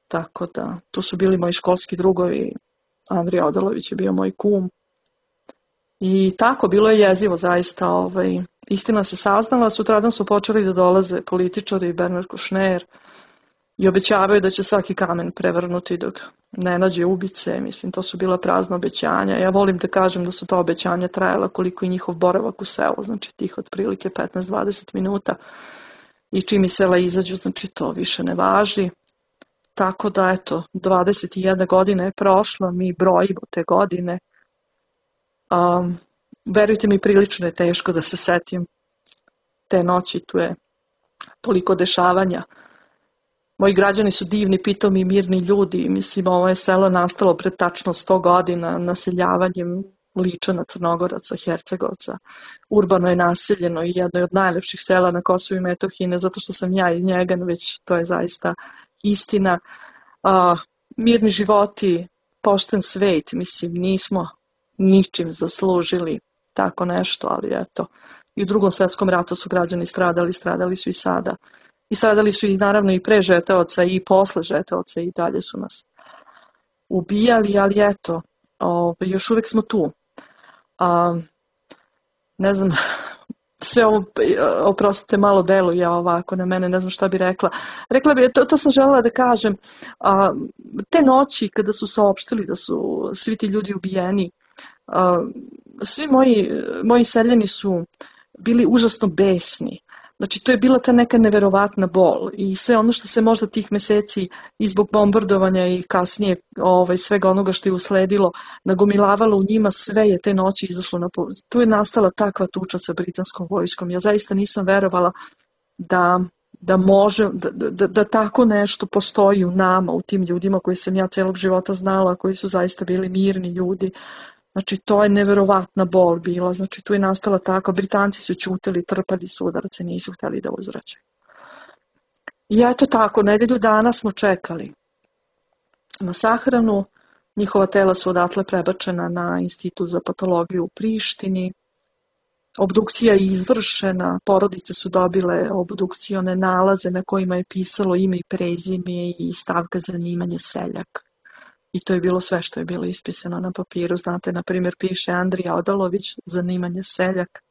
Tako da, tu su bili moji školski drugovi, Andrija Odalović je bio moj kum. I tako, bilo je jezivo zaista. Ovaj, istina se saznala, sutradan su počeli da dolaze političari i Bernard Kouchner i obećavaju da će svaki kamen prevrnuti dok ne nađe ubice. Mislim, to su bila prazna obećanja. Ja volim da kažem da su to obećanja trajala koliko i njihov boravak u selu, znači tih otprilike petnaest do dvadeset minuta. I čim iz sela izađu, znači to više ne važi. Tako da, eto, dvadeset jedna godina je prošla, mi brojimo te godine. Um, verujte mi, prilično je teško da se setim te noći, tu je toliko dešavanja. Moji građani su divni, pitomi i mirni ljudi. Mislim, ovo je selo nastalo pred tačno sto godina naseljavanjem Ličana, Crnogoraca, Hercegovca. Urbano je naseljeno i jedno je od najlepših sela na Kosovu i Metohiji, ne zato što sam ja iz njega, već to je zaista istina. A, mirni životi, pošten svet, mislim, nismo ničim zaslužili tako nešto, ali eto, i u drugom svetskom ratu su građani stradali, stradali su i sada. I stradali su i naravno i pre žeteoca i posle žeteoca i dalje su nas ubijali, ali eto, o, još uvek smo tu. A, ne znam, sve ovo, oprostite, malo deluje ovako na mene, ne znam šta bi rekla. Rekla bi, to, to sam želela da kažem, a, te noći kada su saopštili da su svi ti ljudi ubijeni, a, svi moji, moji seljani su bili užasno besni. Znači, to je bila ta neka neverovatna bol i sve ono što se možda tih meseci i zbog bombardovanja i kasnije ovaj, svega onoga što je usledilo nagomilavalo u njima, sve je te noći izašlo na površinu. Tu je nastala takva tuča sa britanskom vojskom. Ja zaista nisam verovala da, da može, da, da, da tako nešto postoji u nama, u tim ljudima koji sam ja celog života znala, koji su zaista bili mirni ljudi. Znači, to je neverovatna bol bila. Znači, tu je nastala tako. Britanci su ćutili, trpali su udarce, nisu hteli da uzvraćaju. I eto tako, nedelju dana smo čekali na sahranu. Njihova tela su odatle prebačena na Institut za patologiju u Prištini. Obdukcija je izvršena, porodice su dobile obdukcione nalaze na kojima je pisalo ime i prezime i stavka zanimanje seljak. I to je bilo sve što je bilo ispisano na papiru. Znate, na primjer, piše Andrija Odalović, zanimanje seljak,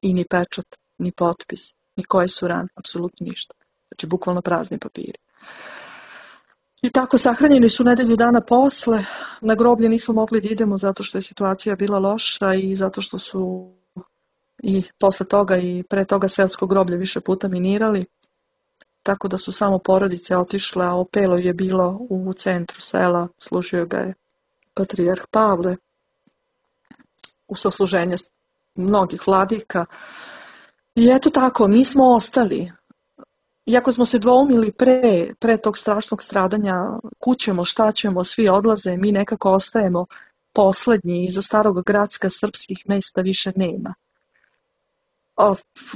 i ni pečat, ni potpis, ni koje su rane, apsolutno ništa. Znači, bukvalno prazni papiri. I tako sahranjeni su nedelju dana posle. Na groblje nismo mogli da idemo zato što je situacija bila loša i zato što su i posle toga i pre toga seosko groblje više puta minirali. Tako da su samo porodice otišle, a opelo je bilo u centru sela, služio ga je patrijarh Pavle u sasluženje mnogih vladika. I eto tako, mi smo ostali. Iako smo se dvoumili pre, pre tog strašnog stradanja, kućemo, šta ćemo, svi odlaze, mi nekako ostajemo poslednji, iza Starog Gracka srpskih mesta više nema.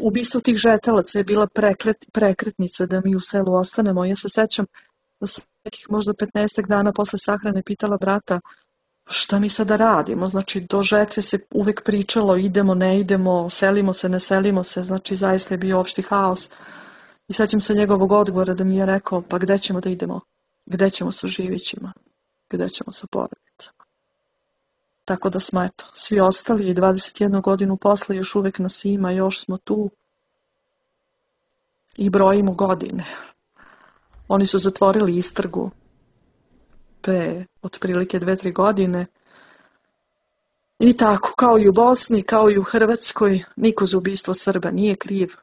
Ubistvo tih žetelaca je bila prekret, prekretnica da mi u selu ostanemo. Ja se sećam da sam nekih možda petnaestak dana posle sahrane pitala brata šta mi sada radimo. Znači, do žetve se uvek pričalo idemo, ne idemo, selimo se, ne selimo se. Znači, zaista je bio opšti haos. I sećam se njegovog odgovora da mi je rekao, pa gde ćemo da idemo? Gde ćemo sa živićima? Gde ćemo sa porodicama? Tako da smo, eto, svi ostali i dvadeset jednu godinu posle još uvek nas ima, još smo tu i brojimo godine. Oni su zatvorili istragu pre otprilike dve, tri godine i tako, kao i u Bosni, kao i u Hrvatskoj, niko za ubistvo Srba nije kriv.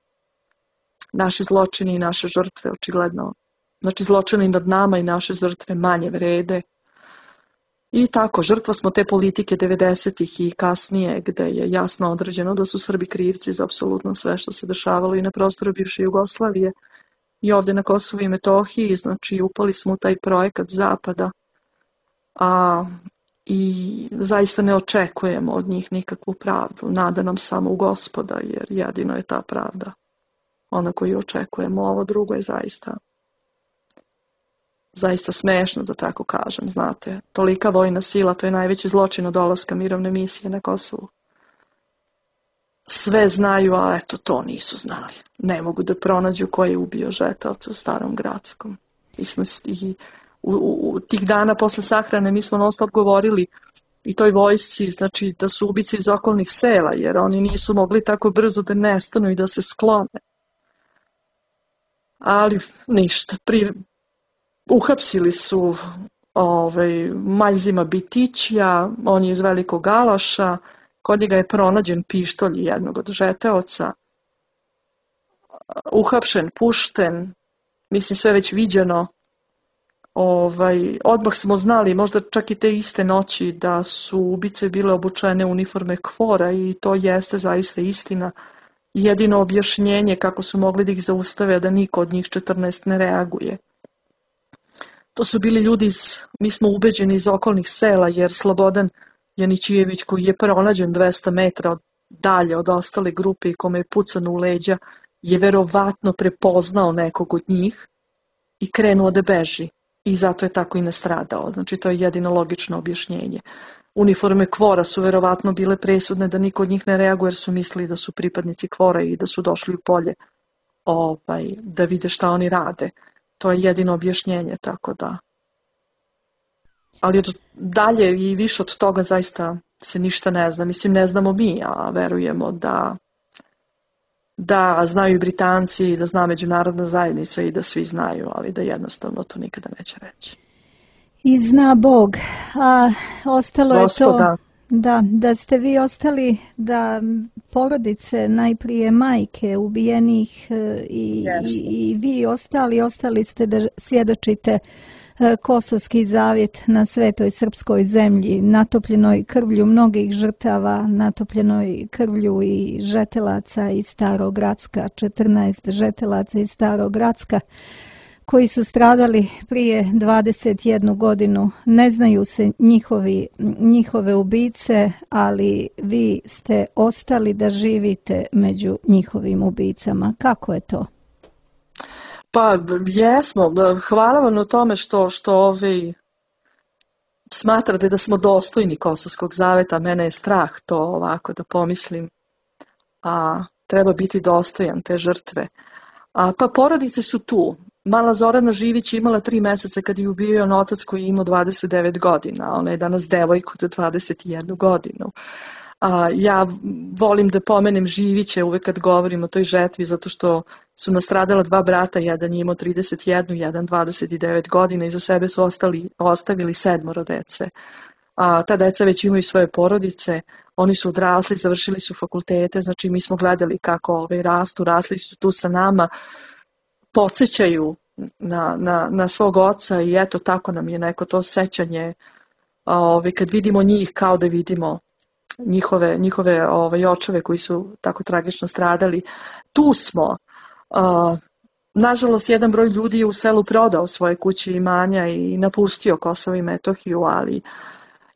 Naši zločini i naše žrtve, očigledno, znači zločini nad nama i naše žrtve manje vrede. I tako, žrtva smo te politike devedesetih i kasnije, gde je jasno određeno da su Srbi krivci za apsolutno sve što se dešavalo i na prostoru bivše Jugoslavije i ovde na Kosovu i Metohiji. Znači, upali smo u taj projekat Zapada, a i zaista ne očekujemo od njih nikakvu pravdu. Nada nam samo u Gospoda, jer jedino je ta pravda ona koju očekujemo. Ovo drugo je zaista zaista smešno, da tako kažem, znate. Tolika vojna sila, to je najveći zločin od dolaska mirovne misije na Kosovu. Sve znaju, a eto, to nisu znali. Ne mogu da pronađu ko je ubio žetelce u Starom Gradskom. I smo i u, u, u tih dana posle sahrane mi smo non stop govorili i toj vojsci, znači da su ubice iz okolnih sela, jer oni nisu mogli tako brzo da nestanu i da se sklone. Ali ništa, pri... Uhapsili su ovaj, Maljzima Bitićija, on je iz Velikog Alaša, kod njega je pronađen pištolj jednog od žeteoca, uhapšen, pušten, mislim sve već viđeno. Ovaj, odmah smo znali, možda čak i te iste noći, da su ubice bile obučene u uniforme KFOR-a i to jeste zaista istina. Jedino objašnjenje kako su mogli da ih zaustave, da niko od njih četrnaest ne reaguje. To su bili ljudi, iz, mi smo ubeđeni, iz okolnih sela, jer Slobodan Janićijević, koji je pronađen dvesta metra od, dalje od ostale grupe i kome je pucano u leđa, je verovatno prepoznao nekog od njih i krenuo da beži. I zato je tako i nastradao. Znači, to je jedino logično objašnjenje. Uniforme KFOR-a su verovatno bile presudne da niko od njih ne reaguje, jer su mislili da su pripadnici KFOR-a i da su došli u polje ovaj, da vide šta oni rade. To je jedino objašnjenje, tako da. Ali dalje i više od toga zaista se ništa ne zna. Mislim, ne znamo mi, a verujemo da da znaju i Britanci, da zna međunarodna zajednica i da svi znaju, ali da jednostavno to nikada neće reći. I zna Bog, a ostalo je Gospoda. to da, da ste vi ostali, da porodice, najprije majke ubijenih i, Jeste. i, i vi ostali, ostali ste da svjedočite Kosovski zavjet na svetoj srpskoj zemlji, natopljenoj krvlju mnogih žrtava, natopljenoj krvlju i žetelaca iz Starog Gracka, četrnaest žetelaca iz Starog Gracka, koji su stradali prije dvadeset jednu godinu. Ne znaju se njihovi, njihove ubice, ali vi ste ostali da živite među njihovim ubicama. Kako je to? Pa jesmo, hvala vam na tome što, što ovi smatrate da smo dostojni Kosovskog zaveta. Mene je strah to ovako da pomislim, a treba biti dostojan te žrtve. A, pa porodice su tu. Mala Zorana Živić je imala tri meseca kad je ubio on otac koji je imao dvadeset devet godina. Ona je danas devojka od dvadeset jednu godinu. A, ja volim da pomenem Živiće uvek kad govorim o toj žetvi, zato što su nastradala dva brata, jedan je imao trideset jednu, jedan dvadeset devet godina, i za sebe su ostali, ostavili sedmoro dece. A, ta deca već imaju svoje porodice, oni su odrasli, završili su fakultete, znači mi smo gledali kako ove rastu, rasli su tu sa nama, podsjećaju na, na, na svog oca i eto tako nam je neko to sećanje, ove, kad vidimo njih kao da vidimo njihove, njihove ove, očeve koji su tako tragično stradali. Tu smo. Uh, nažalost, jedan broj ljudi je u selu prodao svoje kuće i imanja i napustio Kosovo i Metohiju, ali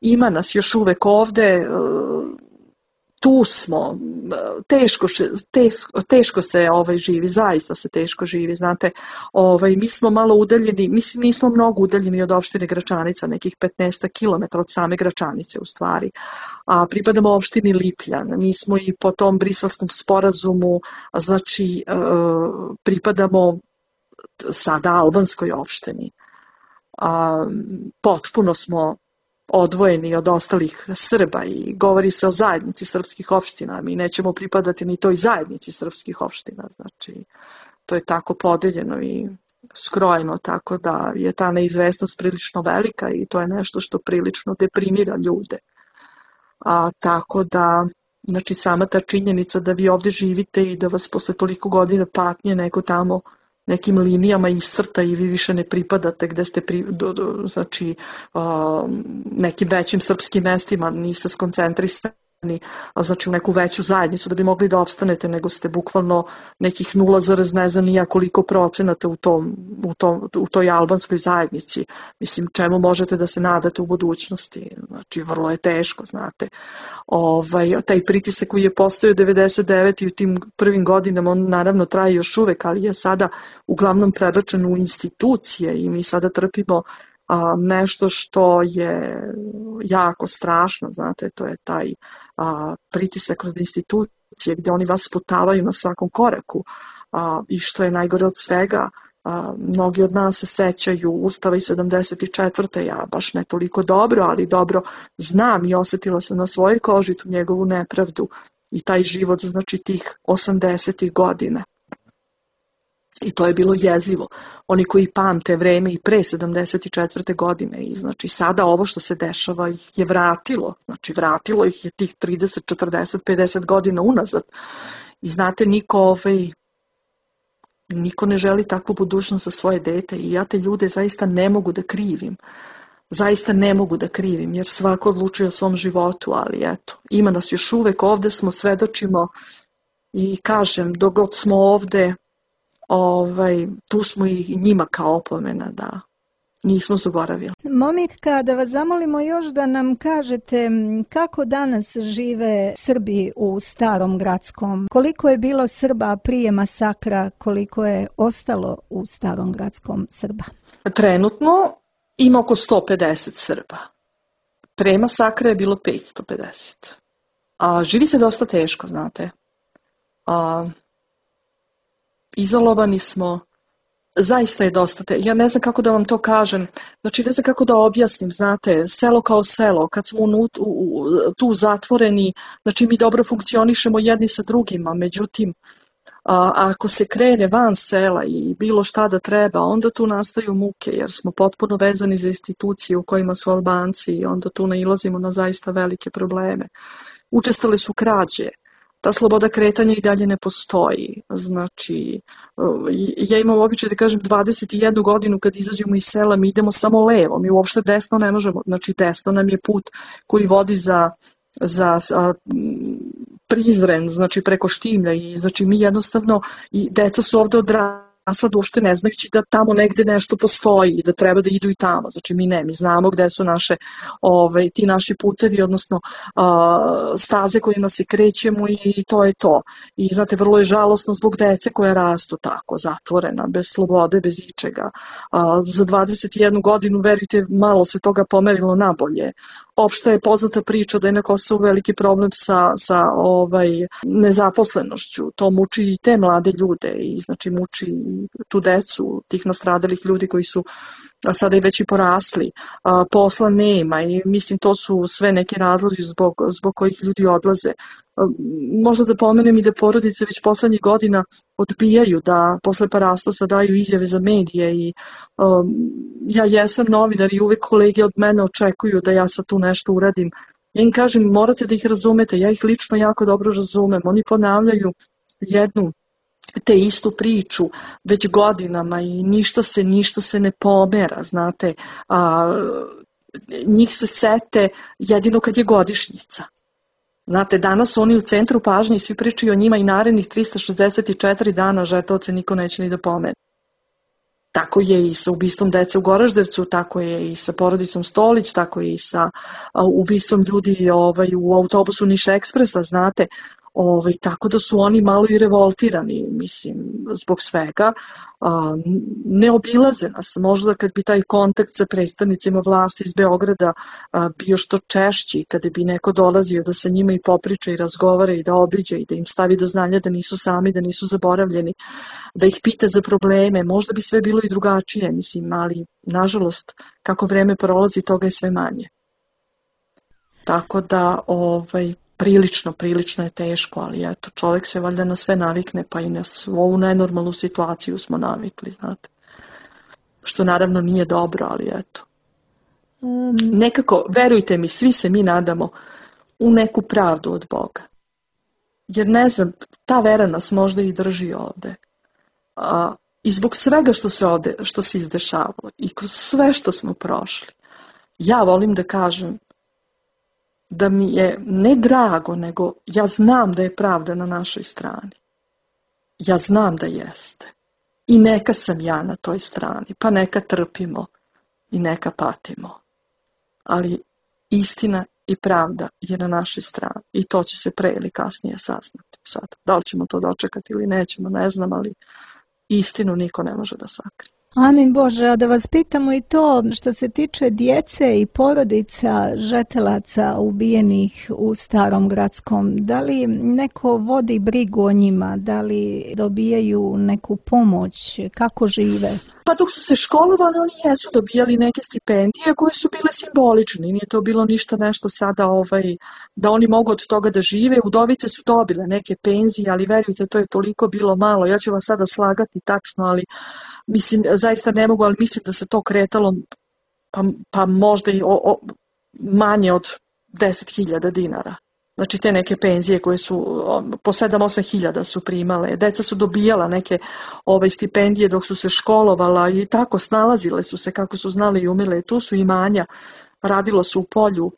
ima nas još uvek ovde. Uh, tu smo. Teško, teško, teško se ovaj, živi, zaista se teško živi, znate. Ovaj, mi smo malo udaljeni, mislim, nismo mnogo udaljeni od opštine Gračanica, nekih petnaest kilometara od same Gračanice u stvari. A pripadamo opštini Lipljan, mi smo i po tom briselskom sporazumu, znači pripadamo sada albanskoj opštini. A, potpuno smo odvojeni od ostalih Srba i govori se o zajednici srpskih opština. Mi nećemo pripadati ni toj zajednici srpskih opština. Znači, to je tako podeljeno i skrojeno, tako da je ta neizvesnost prilično velika i to je nešto što prilično deprimira ljude. A, tako da, znači, sama ta činjenica da vi ovde živite i da vas posle toliko godina patnje neko tamo nekim linijama iscrta i vi više ne pripadate gde ste, pri, do, do, znači, uh, nekim većim srpskim mestima, niste skoncentrisani, znači u neku veću zajednicu da bi mogli da opstanete, nego ste bukvalno nekih nula zarez ne znam nija koliko procenata u, tom, u, tom, u toj albanskoj zajednici. Mislim, čemu možete da se nadate u budućnosti? Znači, vrlo je teško, znate. Ovaj, taj pritisak koji je postojao devedeset devete i u tim prvim godinama, on naravno traje još uvek, ali je sada uglavnom prebačen u institucije i mi sada trpimo a, nešto što je jako strašno, znate, to je taj a, pritisak kroz institucije gde oni vas sputavaju na svakom koraku a, i što je najgore od svega, a, mnogi od nas se sećaju Ustava iz sedamdeset četvrte. Ja baš ne toliko dobro, ali dobro znam i osetila sam na svojoj koži tu njegovu nepravdu i taj život, znači tih osamdesetih godina. I to je bilo jezivo. Oni koji pamte vreme i pre sedamdeset četvrte godine i znači sada ovo što se dešava ih je vratilo. Znači vratilo ih je tih trideset, četrdeset, pedeset godina unazad. I znate, niko, ovaj, niko ne želi takvu budućnost za svoje dete i ja te ljude zaista ne mogu da krivim. Zaista ne mogu da krivim jer svako odlučuje o svom životu, ali eto, ima nas još uvek, ovde smo, svedočimo i kažem, dok god smo ovde, Ovaj, tu smo i njima kao opomena da nismo zaboravili. Momitka, da vas zamolimo još da nam kažete kako danas žive Srbi u Starom Grackom. Koliko je bilo Srba prije masakra, koliko je ostalo u Starom Grackom Srba? Trenutno ima oko sto pedeset Srba. Pre masakra je bilo petsto pedeset. A živi se dosta teško, znate. A izolovani smo, zaista je dosta te, ja ne znam kako da vam to kažem, znači ne znam kako da objasnim, znate, selo kao selo, kad smo u, u, tu zatvoreni, znači mi dobro funkcionišemo jedni sa drugima, međutim, a, ako se krene van sela i bilo šta da treba, onda tu nastaju muke, jer smo potpuno vezani za institucije u kojima su Albanci i onda tu nailazimo na zaista velike probleme. Učestale su krađe. Ta sloboda kretanja i dalje ne postoji. Znači, ja imam običaj da kažem dvadeset jednu godinu kad izađemo iz sela, mi idemo samo levo, mi uopšte desno ne možemo. Znači, desno nam je put koji vodi za, za a, Prizren, znači preko Štimlja i znači mi jednostavno, i deca su ovde odrasla da uopšte ne znajući da tamo negde nešto postoji i da treba da idu i tamo. Znači mi ne, mi znamo gde su naše, ove, ti naši putevi, odnosno a, staze kojima se krećemo i to je to. I znate, vrlo je žalosno zbog dece koje rastu tako, zatvorena, bez slobode, bez ičega. A, za dvadeset jednu godinu, verujte, malo se toga pomerilo nabolje. Opšte je poznata priča da je na Kosovu veliki problem sa, sa ovaj, nezaposlenošću. To muči i te mlade ljude i znači muči tu decu tih nastradalih ljudi koji su sada i već i porasli. A, posla nema i mislim to su sve neki razlozi zbog, zbog kojih ljudi odlaze. A, možda da pomenem i da porodice već poslednjih godina odbijaju da posle parastosa daju izjave za medije i um, ja jesam novinar i uvek kolege od mene očekuju da ja sad tu nešto uradim. Ja im kažem, morate da ih razumete, ja ih lično jako dobro razumem. Oni ponavljaju jednu te istu priču već godinama i ništa se, ništa se ne pomera, znate. A, njih se sete jedino kad je godišnjica. Znate, danas su oni u centru pažnje i svi pričaju o njima i narednih trista šezdeset četiri dana žetovce niko neće ni da pomene. Tako je i sa ubistvom dece u Goraždevcu, tako je i sa porodicom Stolić, tako je i sa ubistvom ljudi ovaj, u autobusu Niš Ekspresa, znate. Ovaj, tako da su oni malo i revoltirani, mislim, zbog svega. A, ne obilaze nas, možda kad bi taj kontakt sa predstavnicima vlasti iz Beograda a, bio što češći, kada bi neko dolazio da sa njima i popriča i razgovara i da obiđe i da im stavi do znanja da nisu sami, da nisu zaboravljeni, da ih pita za probleme, možda bi sve bilo i drugačije, mislim, ali nažalost, kako vreme prolazi, toga je sve manje. Tako da, ovaj, prilično, prilično je teško, ali eto, čovjek se valjda na sve navikne, pa i na ovu nenormalnu situaciju smo navikli, znate. Što naravno nije dobro, ali eto. Um. Nekako, verujte mi, svi se mi nadamo u neku pravdu od Boga. Jer ne znam, ta vera nas možda i drži ovde. A, I zbog svega što se ovde, što se izdešavalo i kroz sve što smo prošli, ja volim da kažem da mi je ne drago, nego ja znam da je pravda na našoj strani. Ja znam da jeste. I neka sam ja na toj strani, pa neka trpimo i neka patimo. Ali istina i pravda je na našoj strani i to će se pre ili kasnije saznati. Sad, da li ćemo to dočekati ili nećemo, ne znam, ali istinu niko ne može da sakrije. Amin Bože, a da vas pitamo i to što se tiče djece i porodica žetelaca ubijenih u Starom Gradskom, da li neko vodi brigu o njima, da li dobijaju neku pomoć, kako žive? Pa dok su se školovali, oni jesu dobijali neke stipendije koje su bile simbolične, nije to bilo ništa nešto sada ovaj, da oni mogu od toga da žive, udovice su dobile neke penzije, ali verujte, to je toliko bilo malo, ja ću vas sada slagati tačno, ali mislim, zaista ne mogu, ali mislim da se to kretalo pa, pa možda i o, o, manje od deset hiljada dinara. Znači te neke penzije koje su po sedam osam hiljada su primale. Deca su dobijala neke ove stipendije dok su se školovala i tako snalazile su se kako su znali i umile. Tu su imanja, radilo se u polju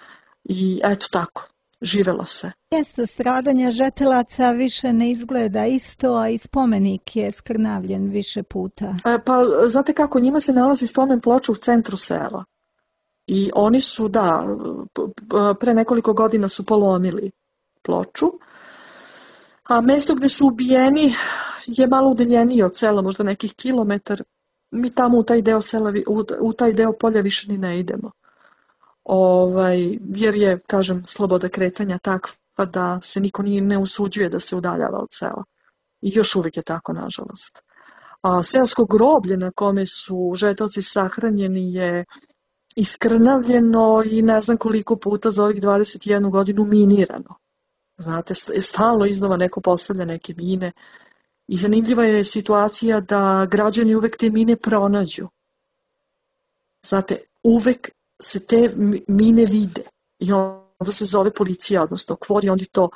i eto tako. Živelo se. Mjesto stradanja žetelaca više ne izgleda isto, a i spomenik je skrnavljen više puta. E, pa, znate kako, njima se nalazi spomen ploča u centru sela. I oni su, da, pre nekoliko godina su polomili ploču. A mesto gde su ubijeni je malo udaljenije od sela, možda nekih kilometar. Mi tamo u taj deo sela, u, u taj deo polja više ni ne idemo. Ovaj, jer je, kažem, sloboda kretanja takva da se niko nije, ne usuđuje da se udaljava od sela. I još uvijek je tako, nažalost. A seosko groblje na kome su žetovci sahranjeni je iskrnavljeno i ne znam koliko puta za ovih dvadeset jednu godinu minirano. Znate, stalno iznova neko postavlja neke mine i zanimljiva je situacija da građani uvek te mine pronađu. Znate, uvek se te mine vide i onda se zove policija, odnosno kvor, i oni to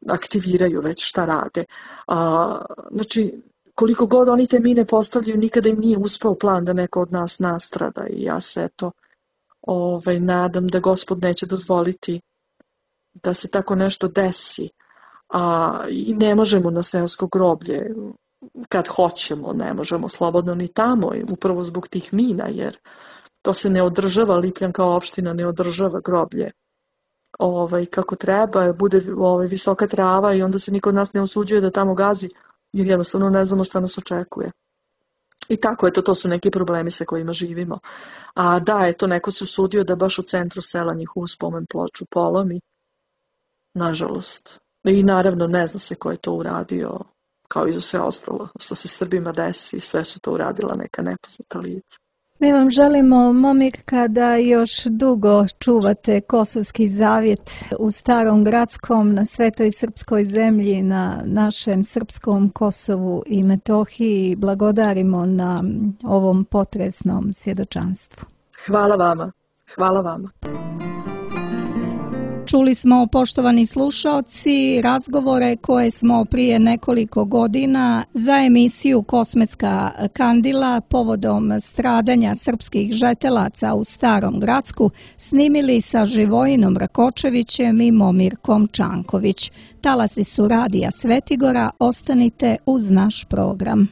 aktiviraju već šta rade. A, znači, koliko god oni te mine postavljaju, nikada im nije uspeo plan da neko od nas nastrada i ja se eto ovaj, nadam da Gospod neće dozvoliti da se tako nešto desi. A, i ne možemo na seosko groblje, kad hoćemo, ne možemo slobodno ni tamo, upravo zbog tih mina, jer to se ne održava, Lipljan kao opština ne održava groblje ovaj, kako treba, bude ovaj, visoka trava i onda se niko od nas ne usuđuje da tamo gazi, jer jednostavno ne znamo šta nas očekuje. I tako, eto, to su neki problemi sa kojima živimo. A da, eto, neko se usudio da baš u centru sela njihovu spomen ploču polomi. Nažalost. I naravno, ne zna se ko je to uradio, kao i za sve ostalo što se Srbima desi, sve su to uradila neka nepoznata lica. Mi vam želimo, Momirka, da još dugo čuvate Kosovski zavjet u Starom Gradskom, na svetoj srpskoj zemlji, na našem srpskom Kosovu i Metohiji. Blagodarimo na ovom potresnom svjedočanstvu. Hvala vama. Hvala vama. Čuli smo, poštovani slušaoci, razgovore koje smo prije nekoliko godina za emisiju Kosmetska kandila povodom stradanja srpskih žetelaca u Starom Gradsku snimili sa Živojinom Rakočevićem i Momirkom Čanković. Talasi su Radija Svetigora, ostanite uz naš program.